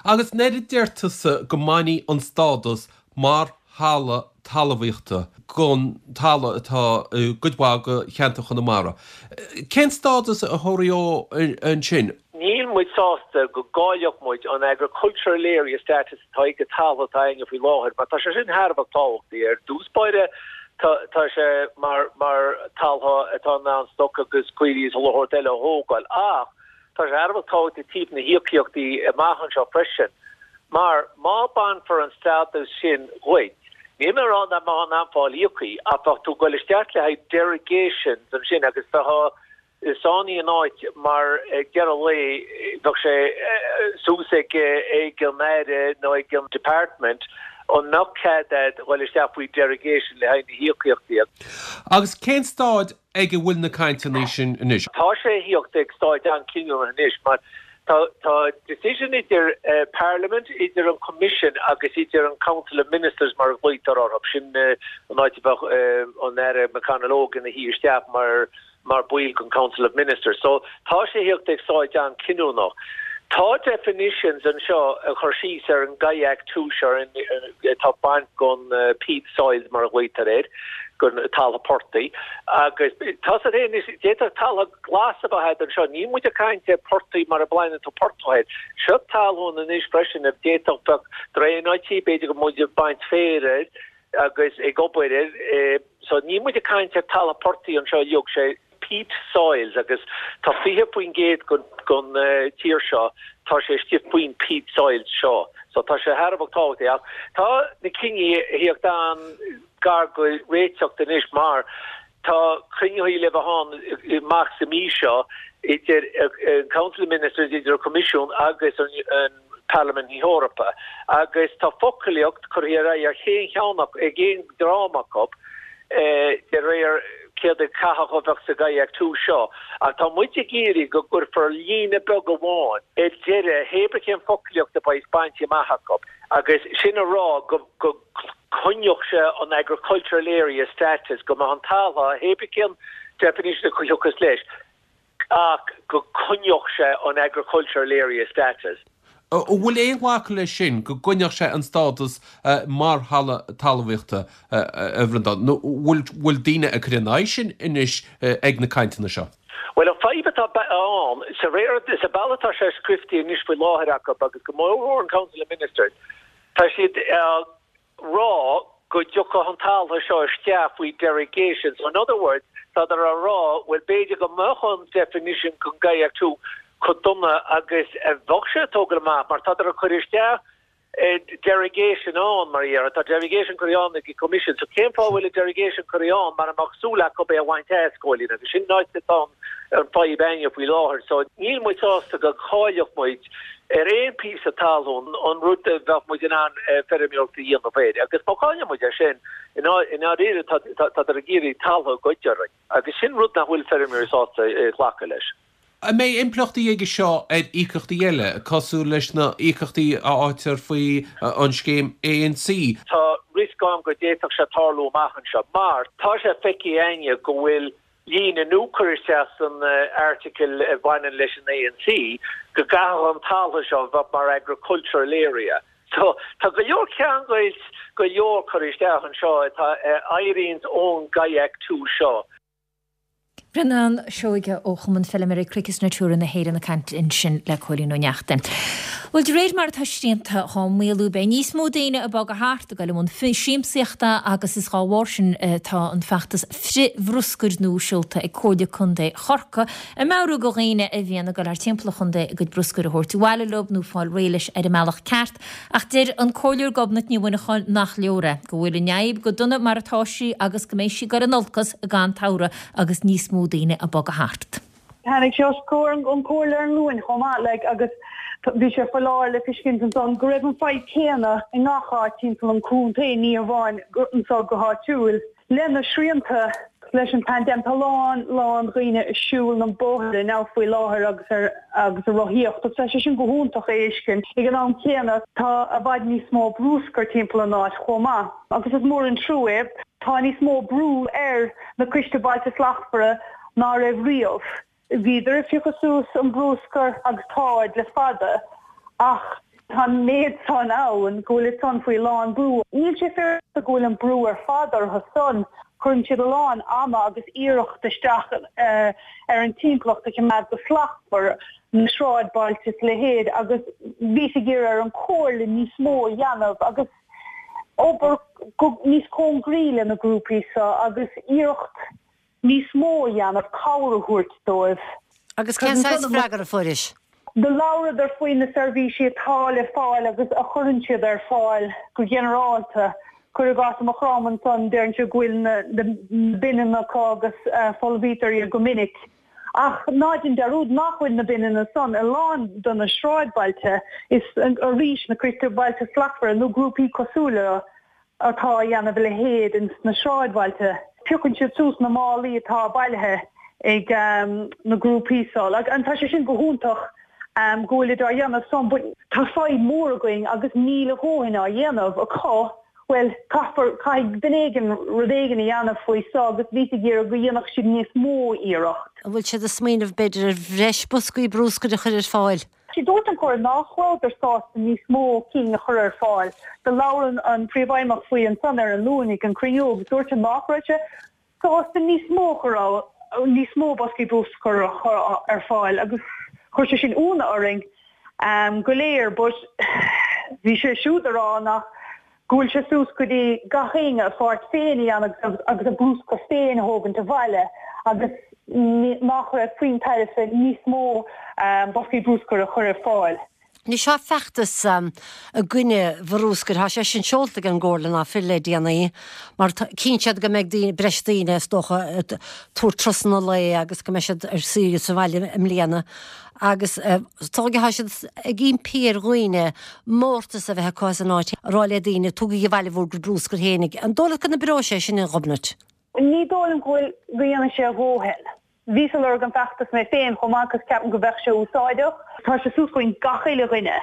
Agus nuair a deir tusa go mbainfí an stádas mar thalamh talmhaíochta gon talamh atá i gcuid mhaith de cheantar Chonamara, cén stádas a thabharfaí ansin? Níl muid sásta go gcaillfeadh muid an agricultural area status atá ag an talamh atá againne faoi láthair mar tá sé sin thar a bheith tábhachtaí. Ar dtús báire tá sé mar mar talamh atá in ann stoc agus caoirigh is chuile shórt eile a thógáil ach tá sé thar a bheith tábhachtaí taobh na híocaíochtaí amach anseo freisin mar má bainfear an stádas sin dhuit níl mé ag rá nach mbeifeá in ann fáil íocthaí ach bheadh tú ag goil isteach le haghaidh derogations ansin agus bheifeá sáinnithe in áit mar ag deireadh an lae bheadh sé suas ag ag an Aire nó ag an Department an mbeadh cead a'd dhul isteach faoi derogation le haghaidh na híocaíochtaí. Agus cén staid ag a bhfuil na cainteanna sin anois? Tá sé a thíocht ag staid an-chinniúnach anois mar tá tá decision idir Parliament, idir an Commission agus idir an Council of Ministers mar a ghlaoitear orthu, sin an áit a bheadh an Aire McConalogue ina shuí isteach mar mar baill den Council of Ministers. So tá sé thíocht ag staid an-chinniúnach. Tá definitions anseo a chur síos ar an GAEC 2 seo atá baint gon peat soils mar a ghlaoitear air, gon talamh portaigh. Agus tá siad féin anois, d'fhéadfadh talamh glas a bheith a'd anseo. Níl muid ag caint ar portaigh mar a bplaineann tú portach air. Seo talún anois freisin a d'fhéadfadh bheadh draenáití, b'fhéidir go muid ag baint féir air agus ag obair air. So níl muid ag caint ar talamh portaigh anseo uilig, sé peat soils agus tá 20% gon tír seo, tá sé istigh faoin peat soils seo. So tá sé thar a bheith tábhachtach ach tá na cinní a thíocht an-gar go réiteacht anois mar tá cruinnithe le bheith ann amach sa mí seo idir an Council of Ministers, idir an Coimisiún agus an Parlaimint na hEorpa agus tá foclaíocht curtha ar aghaidh ar chaon cheann acu, ag aon dream acu, de réir céard a chaithfeadh a bheith sa GAEC 2 seo. Ach tá muid ag iarraidh go gcuirfear líne beag amháin ar deireadh hé bith cén foclaíocht a bheas bainte amach acu agus sin a rá go go coinneodh sé an agricultural area status, go mbeadh an talamh, hé bith cén definition a thiocfas leis. ach go coinneodh sé an agricultural area status. An bhfuil aon ghlacadh leis sin, go gcoinneodh sé an stádas mar thalamh talmhaíochta, a Bhreandáin, nó bhfuil daoine ag cur ina aghaidh sin anois ag na cainteanna seo? Bhuel, an fadhb atá ann, sa réir, sa bealach atá sé scriofa anois faoi láthair acu agus go mór mhór an Council of Ministers, tá siad ag rá go dtiocfadh an talamh seo isteach faoi derogation. So in other words, tádar á rá, bhuel b'fhéidir go mbeadh an definition den GAEC 2 chomh dona agus a bheadh sé ag tógáil amach mar tádar ag cur isteach derogation ann mar a déarfá. Tá derogation curtha ann ag an Commission. So cén fáth a bhfuil an derogation curtha ann mara mbeadh súil acu é a bhaint as, Cóilín? Agus sin an áit atá an fadhb againne faoi láthair. So níl muid sásta go gcaillfeadh muid ar aon phíosa talún an rud a bheadh muid in ann feirmeoireacht a dhéanamh air. Agus má chailleann muid é sin, i ndáiríre tádar ag iarraidh talamh a ghoid orainn. Agus sin rud nach bhfuil feirmeoirí sásta glacadh leis. An mbeidh impleachtaí aige seo ar íocaíochtaí eile, cosúil leis na íocaíochtaí a fhaightear faoi an scéim ANC? Tá riosca ann go d'fhéadfadh sé tarlú amach anseo mar tá sé feicthe againne go bhfuil líne nua curtha isteach san airteagal a bhaineann leis an ANC go gcaithfeadh an talamh seo a bheith mar agricultural area. So tá go leor ceangailt go leor curtha isteach anseo atá a éiríonns ón GAEC 2 seo. Breandán Seoige ó Chumann Feilméaraí Cnoic is Natura na hÉireann ag caint ansin le Cóilín Ó Neachtain. Bhuel, de réir mar atá srianta dhá maolú, beidh níos mó daoine ag bogadh thart, ag dul i mbun siamsaíochta agus is dhá bharr sin tá an feachtas frith-bhruscair nua seolta ag Comhairle Contae Chorcaí, ag meabhrú go dhaoine a bhíonn ag dul thart timpeall an chontae a gcuid bruscair a thabhairt abhaile leo nó fáil réidh leis ar an mbealach ceart. Ach deir an Comhairleoir Gobnait Ní Mhuineacháin nach leor é, go bhfuil an fhadhb go dona mar atá sí agus go mbeidh sí ag dul in olcas gan tsamhradh agus níos mó daoine ag bogadh thart. Tháinig sé os comhair an chomhairle ar an Luan chomh maith, like, agus bhí sé foláir le feiscint ansan go raibh an fadhb céanna i ngach áit timpeall an chontae, ní hamháin anso go háitiúil. Le na srianta leis an paindéim, tá lán, lán dhaoine ag siúl na bóithre now faoi láthair agus ar agus ag rothaíocht agus tá sé sin go hiontach a fheiscint. Ag an am céanna, tá i bhfad níos mó brúscair timpeall an áit chomh maith agus is mór an trua é. Tá níos mó brú ar na Coiste Bailte Slachtmhara ná raibh riamh. Bhíodar ag piocadh suas an brúscar agus táid le fada ach tá an méid san ann go bhfuil san faoi lán brú. Níl sé féaráilte go bhfuil an brú ar fad orthu san. Cuireann siad a lán ama agus iarracht isteach ar an timpeallacht a choimeád go slachtmhar, na sráidbhailte is a leithéid agus bhíos ag iarraidh ar an Chomhairle níos mó a dhéanamh agus obair níos cóngaraí le na grúpaí seo agus iarracht níos mó a dhéanamh, cabhair a thabhairt dóibh. Agus cén saghas freagra a fuairis? Do labhradar faoi na seirbhísí atá le fáil agus a chuireann siad ar fáil go ginearálta. Cuir i gcás i Maigh Chromtha ansan, deireann siad go bhfuil na bineanna acu agus folmhaítear iad go minic. Ach ná dein dearúd nach bhfuil na bineanna san i lán de na sráidbhailte. Is arís na Coiste Bailte Slachtmhara nó grúpaí cosúil leo atá a dhéanamh a leithéid ins na sráidbhailte. Piocann siad suas na málaí atá bailithe ag na grúpaí so. And tá sé sin go hiontach go bhfuilid á dhéanamh san but tá fadhb mór againn agus níl a dhóthain á dhéanamh acu. Bhuel, caithfear, caithfidh duine éigin rud éigin a dhéanamh faoi so agus bhíos ag iarraidh go dhéanfadh siad níos mó iarracht. An bhfuil siad ag smaoineamh b'fhéidir ar bhreis boscaí brúscair a chur ar fáil? Sea, dúirt an Chomhairle nách rabhadar sásta níos mó cinn a chur ar fáil. Do labhair an Príomhfheidhmeach faoi ansan ar an Luan ag an cruinniú agus dúirt sé nách raibh sé sásta níos mó a chur níos mó boscaí brúscair a chur ar fáil agus chuir sé sin iúnadh orainn go léir but bhí sé siúd a rá nach go bhfuil sé suas go dtí gach éinne a pháirt féin a dhéanamh agus a brúscar féin a thógaint abhaile agus nach raibh puinn tairbhe níos mó boscaí brúscair a chur ar fáil. Anois tá feachtas i gcoinne bhrúscair, tá sé sin seolta ag an gComhairle ná Fuil le déanaí mar chíonn siad go mbeidh daoine, breis daoine is dócha ag tabhairt turasanna lae agus go mbeidh siad ar saoire sa bhaile i mbliana. Agus is dóigh tá siad ag impí ar dhaoine mórtas a bheith acu as an áit, a rá le daoine, tugaigí abhaile bhur gcuid brúscair fhéinig. An dóigh leat go n-oibreoidh sé sin, a Ghobnait? Ní dóigh liom go bhfuil, go dhéanfaidh sé a dhóthain. Bhíos ag lorg an feachtas mé féin chomh maith cos ceapaim go bheadh sé úsáideach. Tá sé suas chugainn gach uile dhuine.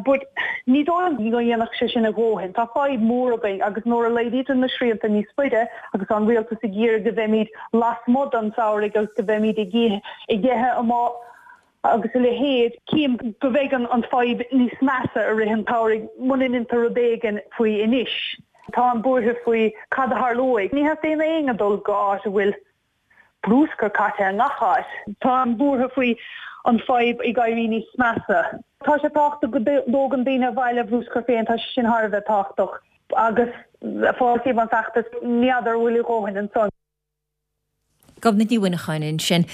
But ní dóigh liom go dhéanfadh sé sin a dhóthain. Tá fadhb mór againn agus nuair a laghdaítear na srianta níos faide agus tá an rialtas ag iarraidh go mbeimid lasmuigh don samhradh agus go mbeimid ag ag ithe amuigh agus a leithéid, cím go mbeidh an fadhb níos measa i rith an tsamhraidh muna ndéantar rud éigin faoi anois. Táim buartha faoi cad a tharlóidh. Ní theastaíonn ó éinne dul go áit a bhfuil brúscar caite i ngach áit. Táim buartha faoi an fadhb ag éirí níos measa. Tá sé tábhachtach go dtógann daoine abhaile a bhrúscar féin, tá sé sin thar a bheith tábhachtach. Agus fáiltím an feachtas, ní fheadar an bhfuil a dhóthain ansan. Gobnait Ní Mhuineacháin ansin.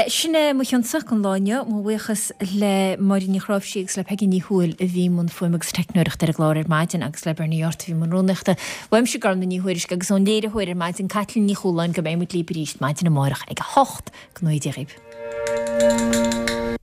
Sin é mo chionsa don lá inniu. Mo bhuíochas le Máirín Ní Chráimhsí agus le Peigí Ní Thuathail a bhí i mbun fuaime agus teicneoireachta ar an gclár ar maidin agus le Bernie Yortt a bhí i mbun rúnaíochta. Uaimse Gormlaith Ní Thuairisg agus ón léiritheoir ar maidin Caitlín Ní Chualáin go mbeidh muid libh arís maidin amárach ag a 8. Go ngnóthaí Dia dhaoibh.